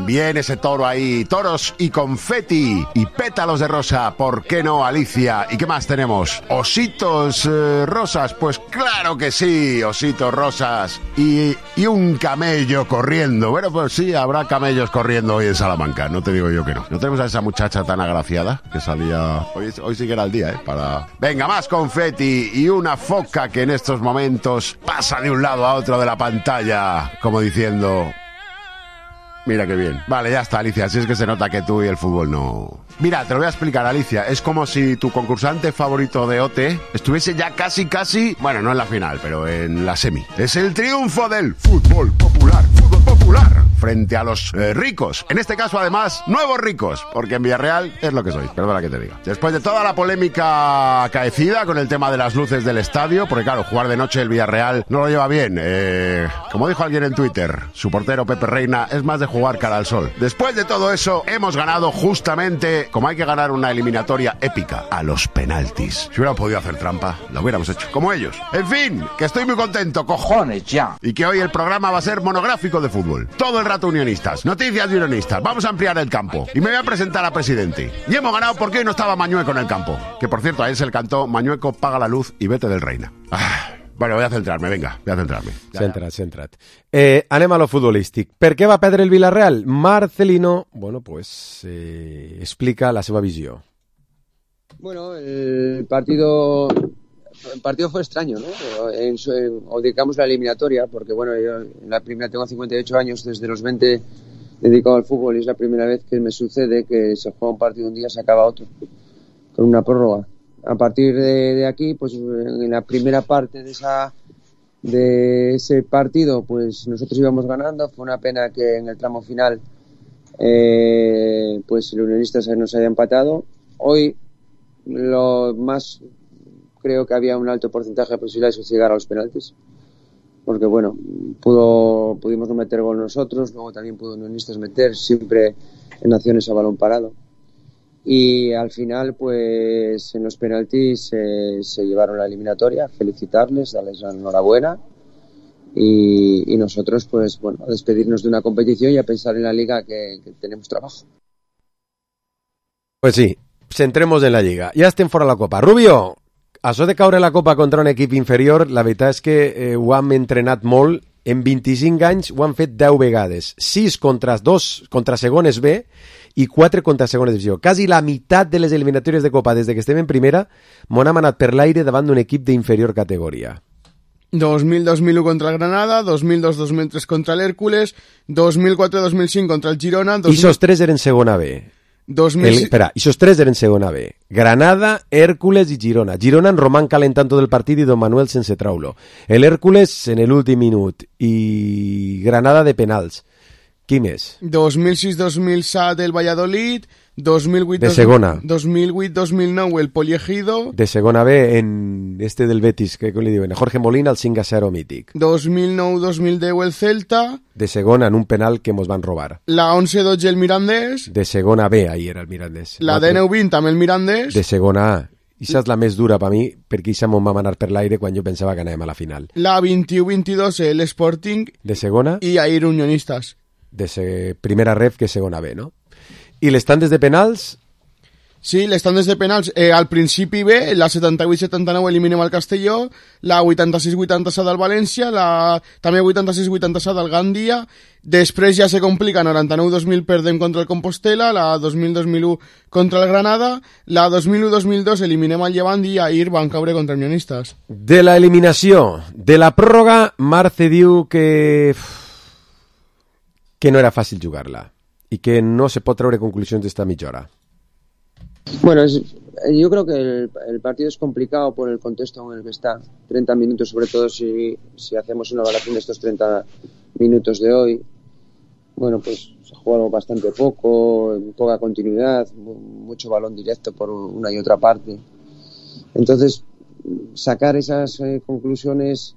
Bien ese toro ahí, toros y confeti y pétalos de rosa, ¿por qué no, Alicia? ¿Y qué más tenemos? ¿Ositos rosas? Pues claro que sí, ositos rosas y un camello corriendo. Bueno, pues sí, habrá camellos corriendo hoy en Salamanca, no te digo yo que no. No tenemos a esa muchacha tan agraciada que salía hoy sí que era el día para venga, más confeti y una foca que en estos momentos pasa de un lado a otro de la pantalla como diciendo mira qué bien. Vale, ya está, Alicia, si es que se nota que tú y el fútbol no... Mira, te lo voy a explicar, Alicia, es como si tu concursante favorito de OT estuviese ya casi, bueno, no en la final, pero en la semi. Es el triunfo del fútbol popular frente a los ricos. En este caso, además, nuevos ricos, porque en Villarreal es lo que soy, perdona que te diga. Después de toda la polémica acaecida con el tema de las luces del estadio, porque claro, jugar de noche el Villarreal no lo lleva bien. Como dijo alguien en Twitter, su portero Pepe Reina es más de jugar cara al sol. Después de todo eso, hemos ganado justamente como hay que ganar una eliminatoria épica, a los penaltis. Si hubiéramos podido hacer trampa, lo hubiéramos hecho, como ellos. En fin, que estoy muy contento, cojones ya. Y que hoy el programa va a ser monográfico de fútbol. Todo el rato unionistas, noticias de unionistas. Vamos a ampliar el campo. Y me voy a presentar a presidente. Y hemos ganado porque hoy no estaba Mañueco en el campo. Que por cierto, a él se le cantó Mañueco, paga la luz y vete del Reina. Bueno, voy a centrarme, venga, voy a centrarme. Centra't. Anem a lo futbolístic. Per què va perdre el Villarreal? Marcelino, bueno, pues explica la seva visió. Bueno, el partido fue extraño, ¿no? O digamos la eliminatoria, porque bueno, yo en la primera tengo 58 años, desde los 20 dedicado al fútbol y es la primera vez que me sucede que se juega un partido un día, se acaba otro, con una prórroga. A partir de aquí, pues en la primera parte de ese partido, pues nosotros íbamos ganando. Fue una pena que en el tramo final pues el Unionistas nos haya empatado. Hoy lo más creo que había un alto porcentaje de posibilidades de llegar a los penaltis, porque bueno, pudimos no meter gol nosotros, luego también pudo Unionistas meter, siempre en acciones a balón parado. Y al final, pues en los penaltis se llevaron la eliminatoria. Felicitarles, darles la enhorabuena y nosotros, pues bueno, a despedirnos de una competición y a pensar en la liga que tenemos trabajo. Pues sí, centremos en la lliga. Ja estem fora la Copa. Rubio, això de caure la Copa contra un equip inferior, la veritat és que ho hem entrenat molt. En 25 anys ho han fet 10 vegades. 6 contra segones B i 4 contra segona divisió. Quasi la meitat de les eliminatòries de Copa des de que estem en primera m'ho hem anat per l'aire davant d'un equip d'inferior categoria. 2000-2001 contra el Granada, 2002-2003 contra el Hércules, 2004-2005 contra el Girona... I esos 3 eren segona B. Esos 3 eren segona B. Granada, Hércules i Girona. Girona en Román calentant tot el partit i Don Manuel sense traulo. El Hércules en l'últim minut i Granada de penals. Qui més? 2006-2007 el Valladolid, 2008, de segona. 2008-2009 el Poliegido. De segona B en este del Betis, que li diuen, Jorge Molina, el 5-0 mític. 2009-2010 el Celta. De segona en un penal que mos van robar. La 11-12 el Mirandés. De segona B, ahí era el Mirandés. La D9-20 també el Mirandés. De segona A. Ixa és la més dura per mi, perquè ixa m'ho va manar per l'aire quan jo pensava que anàvem a la final. La 21-22 el Sporting. De segona. I ahir Unionistas. De primera ref que segona B, no? I les tandes de penals? Sí, les tandes de penals. Al principi B, la 78-79 eliminem el Castelló, la 86-87 del València, la també 86-87 del Gandia, després ja se complica, 99-2000 perdem contra el Compostela, la 2000-2001 contra el Granada, la 2001-2002 eliminem el Llevant i ahir van caure contra Unionistas. De la eliminació, de la pròrroga, Marce diu que no era fàcil jugar-la y que no se pot treure conclusions d'esta mitja hora. Bueno, yo creo que el partido es complicado por el contexto en el que está. 30 minutos, sobre todo si hacemos una evaluación de estos 30 minutos de hoy. Bueno, pues se ha jugado bastante poco, poca continuidad, mucho balón directo por una y otra parte. Entonces, sacar esas conclusiones,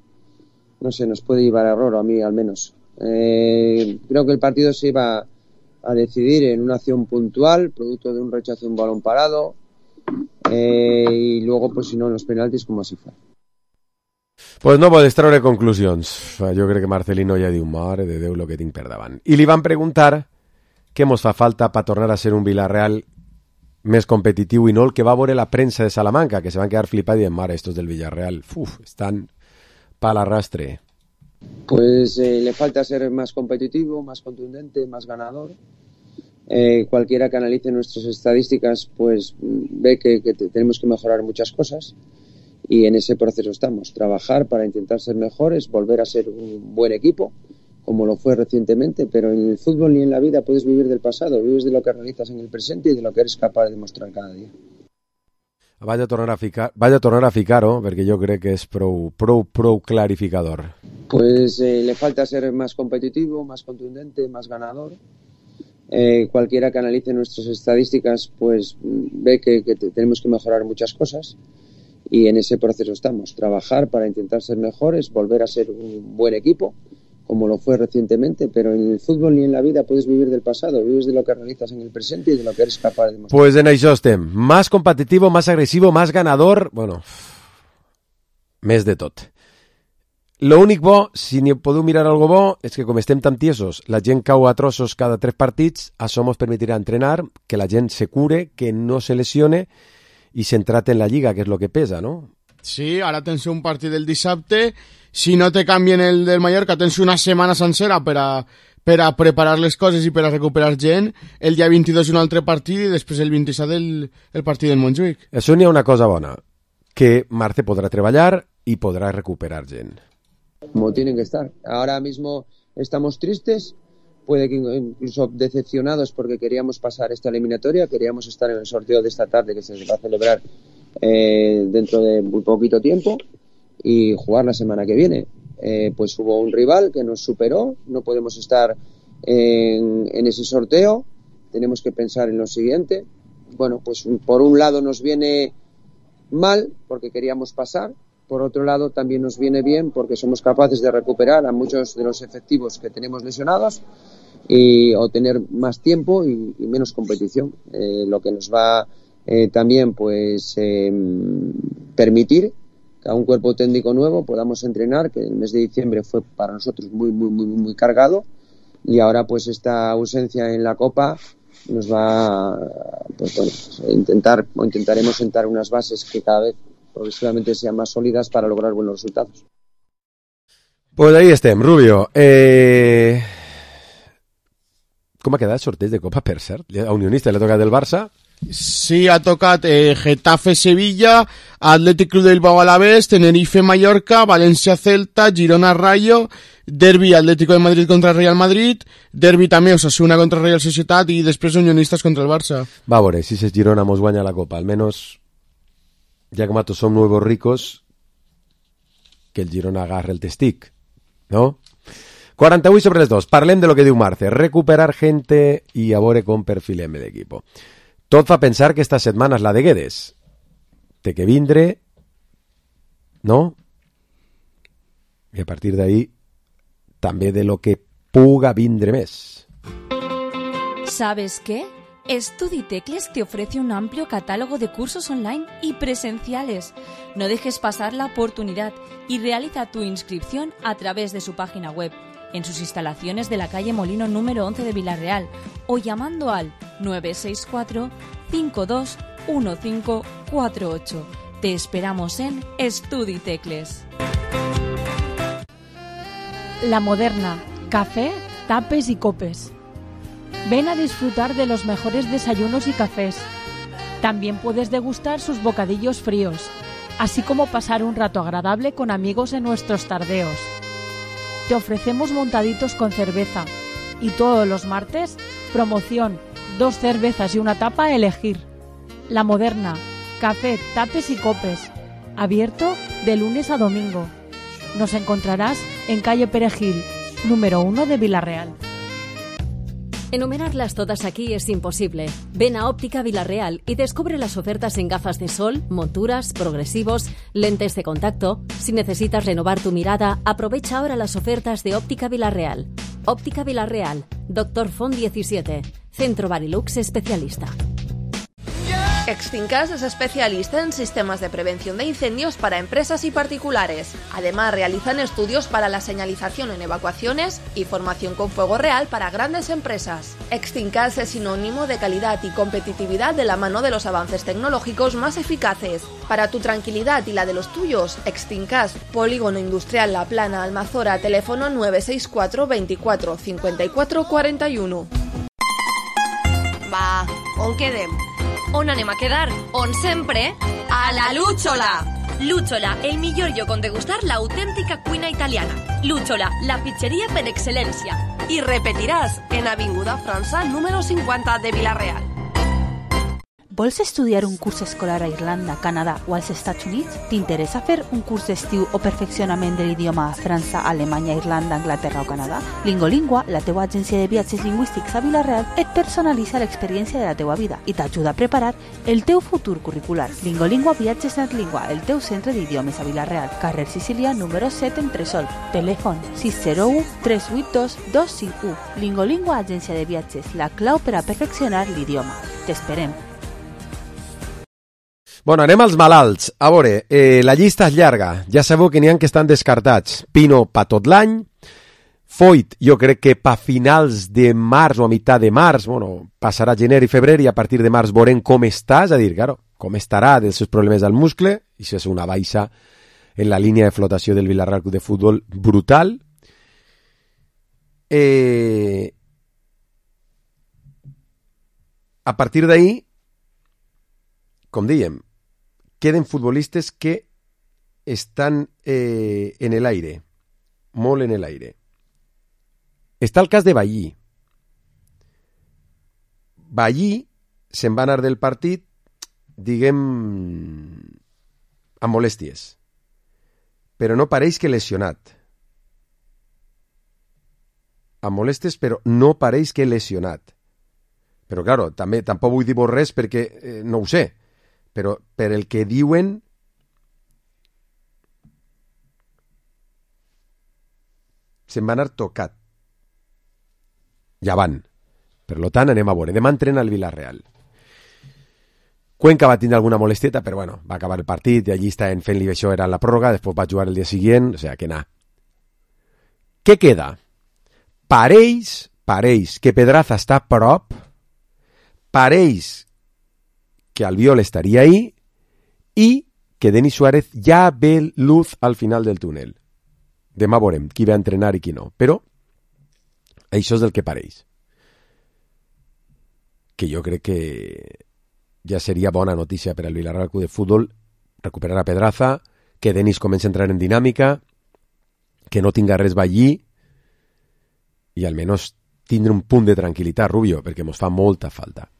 no sé, nos puede llevar a error, a mí al menos. Creo que el partido se iba a decidir en una acción puntual, producto de un rechazo de un balón parado, y luego, pues si no, en los penaltis, com així fa. Pues no podes treure conclusions. Jo crec que Marcelino ja diu, mare de Déu, lo que tinc per davant. I li van preguntar què mos fa falta per tornar a ser un Villarreal més competitiu i no el que va veure la premsa de Salamanca, que se van quedar flipats i dient, mare, estos del Villarreal, están para l'arrastre. Pues le falta ser más competitivo, más contundente, más ganador. Cualquiera que analice nuestras estadísticas pues ve que tenemos que mejorar muchas cosas y en ese proceso estamos. Trabajar para intentar ser mejores, volver a ser un buen equipo, como lo fue recientemente, pero en el fútbol ni en la vida puedes vivir del pasado, vives de lo que realizas en el presente y de lo que eres capaz de demostrar cada día. Vaig a tornar a ficar-ho, perquè jo crec que és prou clarificador. Pues le falta ser más competitivo, más contundente, más ganador. Cualquiera que analice nuestras estadísticas pues ve que tenemos que mejorar muchas cosas y en ese proceso estamos. Trabajar para intentar ser mejores, volver a ser un buen equipo, como lo fue recientemente, pero en el fútbol ni en la vida puedes vivir del pasado, vives de lo que realizas en el presente y de lo que eres capaz de demostrar. Pues en això estem. Más competitivo, más agresivo, más ganador, bueno, més de tot. Lo únic bo, si n'hi podeu mirar algo bo, és que com estem tan tiesos, la gent cau a trossos cada 3 partits, això ens permetirà entrenar, que la gent se cure, que no se lesione i centrar-te en la lliga, que és lo que pesa, no? Sí, ara tens un partit del dissabte, si no te canvien el del Mallorca tens una setmana sencera per a preparar les coses i per a recuperar gent, el dia 22 un altre partit i després el 27 el partit del Montjuïc. Això n'hi ha una cosa bona, que Marce podrà treballar i podrà recuperar gent. Como tienen que estar. Ahora mismo estamos tristes, puede que incluso decepcionados porque queríamos pasar esta eliminatoria, queríamos estar en el sorteo de esta tarde que se va a celebrar dentro de muy poquito tiempo y jugar la semana que viene. Pues hubo un rival que nos superó, no podemos estar en ese sorteo, tenemos que pensar en lo siguiente. Bueno, pues por un lado nos viene mal porque queríamos pasar, por otro lado también nos viene bien porque somos capaces de recuperar a muchos de los efectivos que tenemos lesionados o tener más tiempo y menos competición, lo que nos va también pues permitir que a un cuerpo técnico nuevo podamos entrenar, que el mes de diciembre fue para nosotros muy cargado y ahora pues esta ausencia en la Copa nos va pues bueno, intentaremos sentar unas bases que cada vez progresivamente sean más sólidas para lograr buenos resultados. Pues ahí estem, Rubio. Com ha quedat el sorteig de Copa, per cert? A Unionista l'ha tocat el Barça? Sí, ha tocat Getafe-Sevilla, Athletic Club del Bilbao Alavés, Tenerife-Mallorca, València-Celta, Girona-Rayo, Derbi Atlético de Madrid contra el Real Madrid, Derbi també Osasuna contra el Real Societat i després Unionistas contra el Barça. Va a veure, si es Girona mos guanya la Copa, almenys ya que mato son nuevos ricos, que el Girona agarre el testic, ¿no? 48 sobre les 2. Parlem de lo que diu Marce. Recuperar gente i a veure com perfilem l'equipo. Tot fa pensar que esta setmana és la de Guedes. Té que vindre, no? I a partir d'ahí també de lo que puga vindre més. ¿Sabes qué? StudiTecles te ofrece un amplio catálogo de cursos online y presenciales. No dejes pasar la oportunidad y realiza tu inscripción a través de su página web, en sus instalaciones de la calle Molino número 11 de Villarreal o llamando al 964-521548. Te esperamos en StudiTecles. La Moderna, café, tapes y copes. Ven a disfrutar de los mejores desayunos y cafés. También puedes degustar sus bocadillos fríos, así como pasar un rato agradable con amigos en nuestros tardeos. Te ofrecemos montaditos con cerveza y todos los martes, promoción, 2 cervezas y una tapa a elegir. La Moderna, café, tapes y copes. Abierto de lunes a domingo. Nos encontrarás en calle Perejil, número 1 de Villarreal. Enumerarlas todas aquí es imposible. Ven a Óptica Villarreal y descubre las ofertas en gafas de sol, monturas, progresivos, lentes de contacto. Si necesitas renovar tu mirada, aprovecha ahora las ofertas de Óptica Villarreal. Óptica Villarreal, Dr. Font 17, Centro Barilux especialista. Extincas es especialista en sistemas de prevención de incendios para empresas y particulares. Además, realizan estudios para la señalización en evacuaciones y formación con fuego real para grandes empresas. Extincas es sinónimo de calidad y competitividad de la mano de los avances tecnológicos más eficaces. Para tu tranquilidad y la de los tuyos, Extincas, Polígono Industrial La Plana, Almazora, teléfono 964 24 54 41. Va, on quedem? On anem a quedar? On sempre? A la Lúchola! Lúchola, el millor lloc on degustar l'autèntica cuina italiana. Lúchola, la pizzeria per excel·lència. I repetiràs, en Avinguda França, número 50 de Villarreal. Vols estudiar un curs escolar a Irlanda, Canadà o als Estats Units? T'interessa fer un curs d'estiu o perfeccionament de l'idioma a França, Alemanya, Irlanda, Anglaterra o Canadà? Lingolingua, la teua agència de viatges lingüístics a Villarreal, et personalitza l'experiència de la teua vida i t'ajuda a preparar el teu futur curricular. Lingolingua Viatges Netlingua, el teu centre d'idiomes a Villarreal, carrer Sicília, número 7 en Tresol. Telèfon 601 382 251. Lingolingua, agència de viatges, la clau per a perfeccionar l'idioma. T'esperem. Bueno, anem als malalts. A veure, la llista és llarga. Ja sabeu que n'hi ha que estan descartats. Pino pa tot l'any. Foyt, jo crec que pa finals de març o a meitat de març, bueno, passarà gener i febrer i a partir de març veurem com està, és a dir, claro, com estarà dels seus problemes al muscle, i això és una baixa en la línia de flotació del Villarreal Club de Futbol brutal. A partir d'ahí, com dèiem, queden futbolistes que estan en l'aire, molt en l'aire. Està el cas de Ballí. Ballí se'n va anar del partit, diguem, amb molèsties, però no pareix que lesionat. Amb molèsties, però no pareix que lesionat. Però, claro, tampoc vull dir res perquè no ho sé, però per el que diuen se'n va anar tocat. Ja van. Per tant, anem a veure. Demà entrena el Villarreal. Cuenca va tindre alguna molestieta, però bueno, va acabar el partit i allí estaven fent-li això, era la pròrroga, després va jugar el dia següent, o sea que nada. Què queda? Pareix que Pedraza està a prop, pareix que Albiol estaria ahí i que Denis Suárez ja ve luz al final del túnel. Demà veurem qui va entrenar i qui no, però això és del que pareix. Que jo crec que ja seria bona notícia per al Villarreal Club de Futbol recuperar a Pedraza, que Denis comença a entrar en dinàmica, que no tinga res Ballí i almenys tindre un punt de tranquil·litat, Rubio, perquè ens fa molta falta.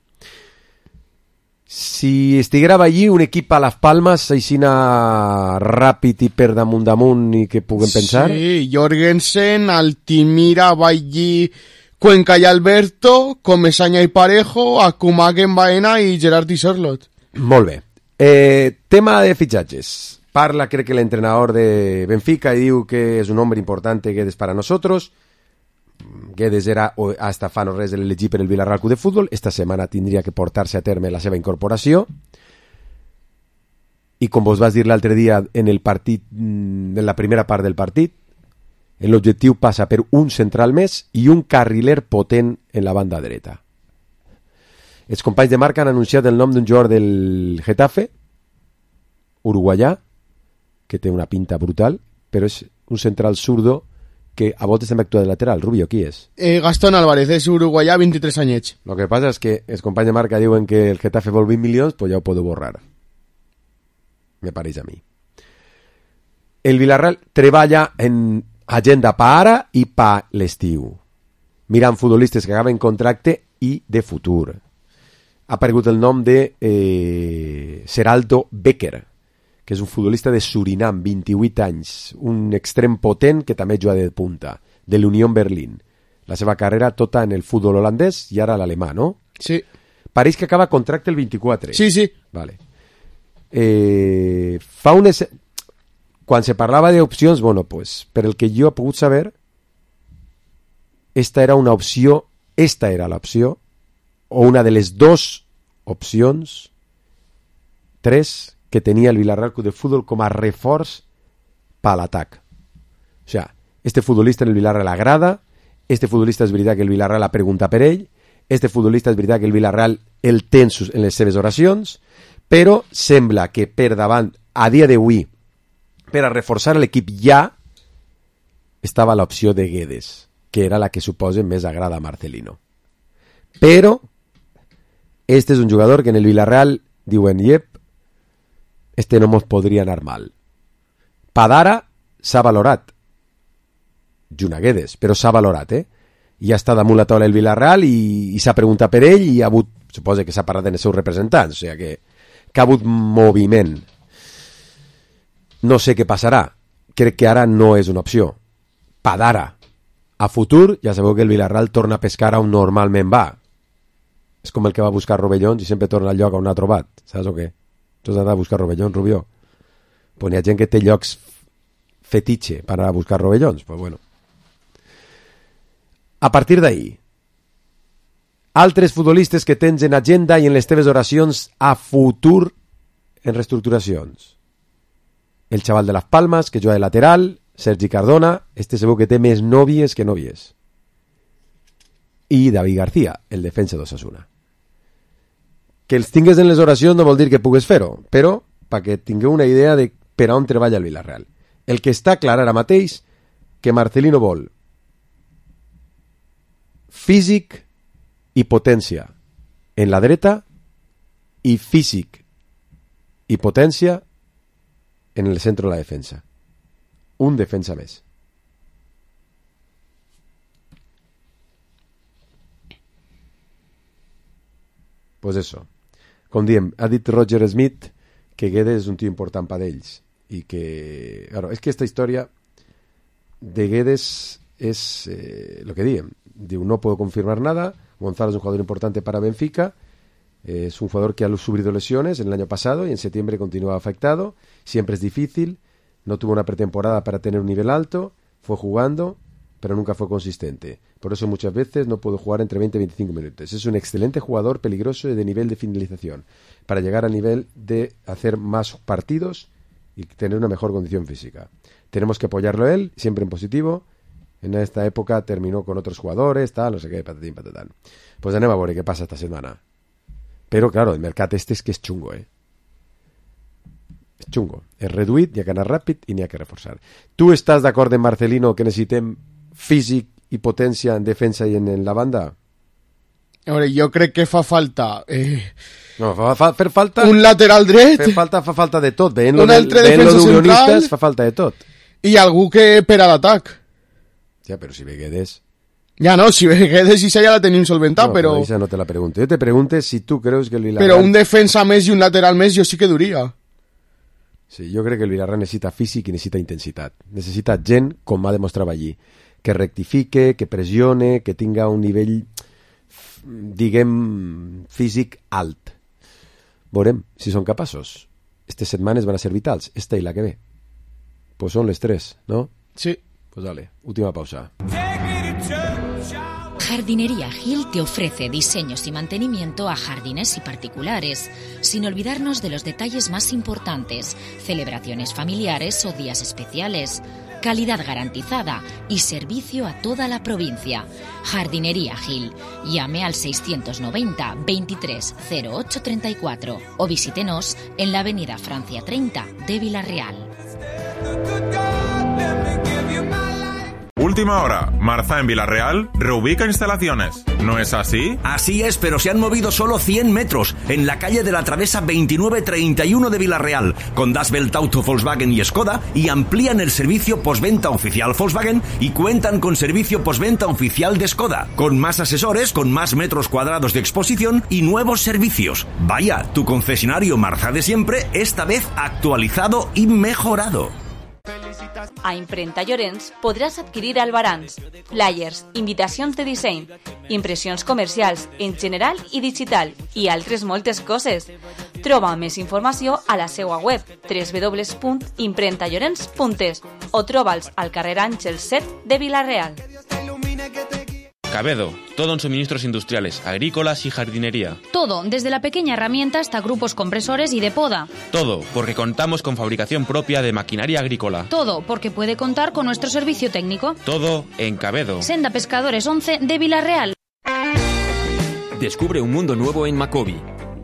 Si estiguera Ballí, un equip a Las Palmas, aixina ràpid i per damunt i que puguem pensar? Sí, Jorgensen, Altimira, Ballí, Cuenca y Alberto, Comesaña y Parejo, Akumagen Baena i Gerard i Sorlot. Molt bé. Tema de fitxatges. Parla, crec que l'entrenador de Benfica, i diu que és un hombre importante Guedes para nosotros. Guedes era hasta fa no res l'elegit per el Villarreal Club de Futbol. Esta setmana tindria que portar-se a terme la seva incorporació. I com vos vas dir l'altre dia en el partit, en la primera part del partit, l'objectiu passa per un central més i un carriler potent en la banda dreta. Els companys de Marca han anunciat el nom d'un jugador del Getafe, uruguaià, que té una pinta brutal, però és un central zurdo que a voltes també actua de lateral. Rubio, qui és? Gastón Álvarez, és uruguaià, 23 anyets. Lo que passa és que els companys de Marca diuen que el Getafe vol 20 milions, pues ja ho podeu borrar. Me pareix a mi. El Villarreal treballa en agenda pa ara i pa l'estiu, mirant futbolistes que acaben contracte i de futur. Ha aparegut el nom de Seraldo Becker, que és un futbolista de Surinam, 28 anys, un extrem potent que també juga de punta, de l'Unión Berlín. La seva carrera tota en el futbol holandès i ara l'alemà, no? Sí. Pareix que acaba contracte el 24. Sí, sí. Vale. Fa unes... Quan se parlava d'opcions, bueno, pues, per el que jo he pogut saber, esta era l'opció, o una de les dos opcions, 3, que tenia el Villarreal Club de Futbol com a reforç per l'atac. O sigui, este futbolista en el Villarreal agrada, este futbolista és veritat que el Villarreal ha preguntat per ell, este futbolista és veritat que el Villarreal el té en les seves oracions, però sembla que per davant, a dia d'avui, per a reforçar l'equip ja estava l'opció de Guedes, que era la que suposa més agrada a Marcelino. Però este és un jugador que en el Villarreal diuen, este no mos podria anar mal. Padara s'ha valorat, junt a Guedes, però s'ha valorat, i ha estat damunt la taula del Villarreal i s'ha preguntat per ell i ha hagut, suposa que s'ha parlat en els seus representants, o sigui que ha hagut moviment. No sé què passarà. Crec que ara no és una opció. Padara. A futur, ja sabeu que el Villarreal torna a pescar on normalment va. És com el que va a buscar rovellons i sempre torna al lloc on ha trobat. Saps o què? Tu has d'anar a buscar rovellons, Rubió? Pues n'hi ha gent que té llocs fetitxe per anar a buscar rovellons. Pues bueno. A partir d'ahí, altres futbolistes que tens en agenda i en les teves oracions a futur en reestructuracions. El xaval de Las Palmas, que juga de lateral, Sergi Cardona, este segur que té més nòvies que nòvies. I David García, el defensa d'Osasuna. Que els tingues en les oracions no vol dir que pugues fer-ho, però perquè tingueu una idea de per on treballa el Villarreal. El que està clar ara mateix que Marcelino vol físic i potència en la dreta i físic i potència en el centre de la defensa. Un defensa més. Pues eso. Com diem, ha dit Roger Smith que Guedes és un tio important per ells i que... Claro, és que esta història de Guedes és lo que diem. Diu, no puedo confirmar nada. Gonzalo es un jugador importante para Benfica. Es un jugador que ha sufrido lesiones en el año pasado y en septiembre continúa afectado. Siempre es difícil. No tuvo una pretemporada para tener un nivel alto. Fue jugando, pero nunca fue consistente. Por eso muchas veces no pudo jugar entre 20 y 25 minutos. Es un excelente jugador, peligroso y de nivel de finalización, para llegar al nivel de hacer más partidos y tener una mejor condición física. Tenemos que apoyarlo a él, siempre en positivo. En esta época terminó con otros jugadores, tal, no sé qué, patatín, patatán. Pues anem a veure què passa esta setmana. Però, claro, el mercat este és que és xungo, És xungo. És reduït, hi ha que anar ràpid i n'hi ha que reforçar. Tu estàs d'acord en Marcelino que necessitem físic i potència en defensa i en la banda? A veure, jo crec que fa falta... No, fer falta... Un lateral dret. Fa falta de tot. Un altre defensa central. Fa falta de tot. I algú que per a l'atac. Ja, però si ve Guedes... Ja no, si ve Guedes i ja la tenim solventat, no, però... Això no te la pregunto. Jo te pregunto si tu creus que el Villarreal... Però un defensa més i un lateral més jo sí que duria. Sí, jo crec que el Villarreal necessita físic i necessita intensitat. Necessita gent com ha demostrat allí. que rectifique, que pressione, que tinga un nivell, diguem, físic alt. Veurem si són capaços. Estas setmanes van a ser vitals, esta i la que ve. Pues són les 3, ¿no? Sí. Pues dale, última pausa. Jardinería Gil te ofrece diseños y mantenimiento a jardines y particulares, sin olvidarnos de los detalles más importantes, celebraciones familiares o días especiales, calidad garantizada y servicio a toda la provincia. Jardinería Gil. Llame al 690 23 08 34 o visítenos en la avenida Francia 30 de Villarreal. Última hora. Marza en Villarreal reubica instalaciones. ¿No es así? Así es, pero se han movido solo 100 metros en la calle de la Travesa 2931 de Villarreal, con Das Welt Auto Volkswagen y Skoda, y amplían el servicio postventa oficial Volkswagen y cuentan con servicio postventa oficial de Skoda, con más asesores, con más metros cuadrados de exposición y nuevos servicios. Vaya, tu concesionario Marza de siempre, esta vez actualizado y mejorado. A Imprenta Llorenç podràs adquirir albarans, flyers, invitacions de disseny, impressions comercials en general i digital i altres moltes coses. Troba més informació a la seva web www.imprentallorenç.es o troba'ls al carrer Àngels 7 de Vila-real. Cabedo, todo en suministros industriales, agrícolas y jardinería. Todo, desde la pequeña herramienta hasta grupos compresores y de poda. Todo, porque contamos con fabricación propia de maquinaria agrícola. Todo, porque puede contar con nuestro servicio técnico. Todo en Cabedo. Senda Pescadores 11 de Vila-real. Descubre un mundo nuevo en Macobi.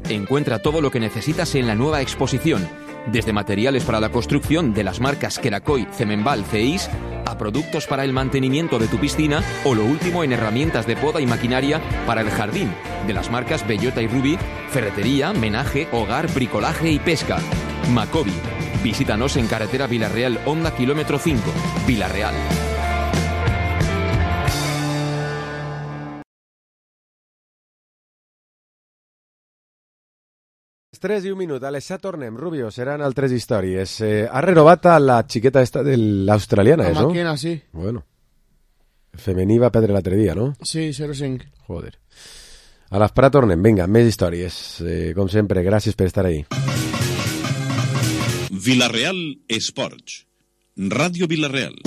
Encuentra todo lo que necesitas en la nueva exposición, desde materiales para la construcción de las marcas Kerakoy, Cemenbal, CEIS, a productos para el mantenimiento de tu piscina o lo último en herramientas de poda y maquinaria para el jardín, de las marcas Bellota y Ruby, ferretería, menaje, hogar, bricolaje y pesca. Macobi. Visítanos en carretera Villarreal Honda kilómetro 5, Villarreal. Les 3 i un minut, a les 7 tornem. Rubio, seran altres històries. Ha renovat a la xiqueta esta de l'australiana, La no? Maquena, sí. Bueno. Femení va perdre l'altre dia, no? Sí, 0-5. Joder. A l'esperar tornem. Vinga, més històries. Com sempre, gràcies per estar ahí. Villarreal Esports. Ràdio Villarreal.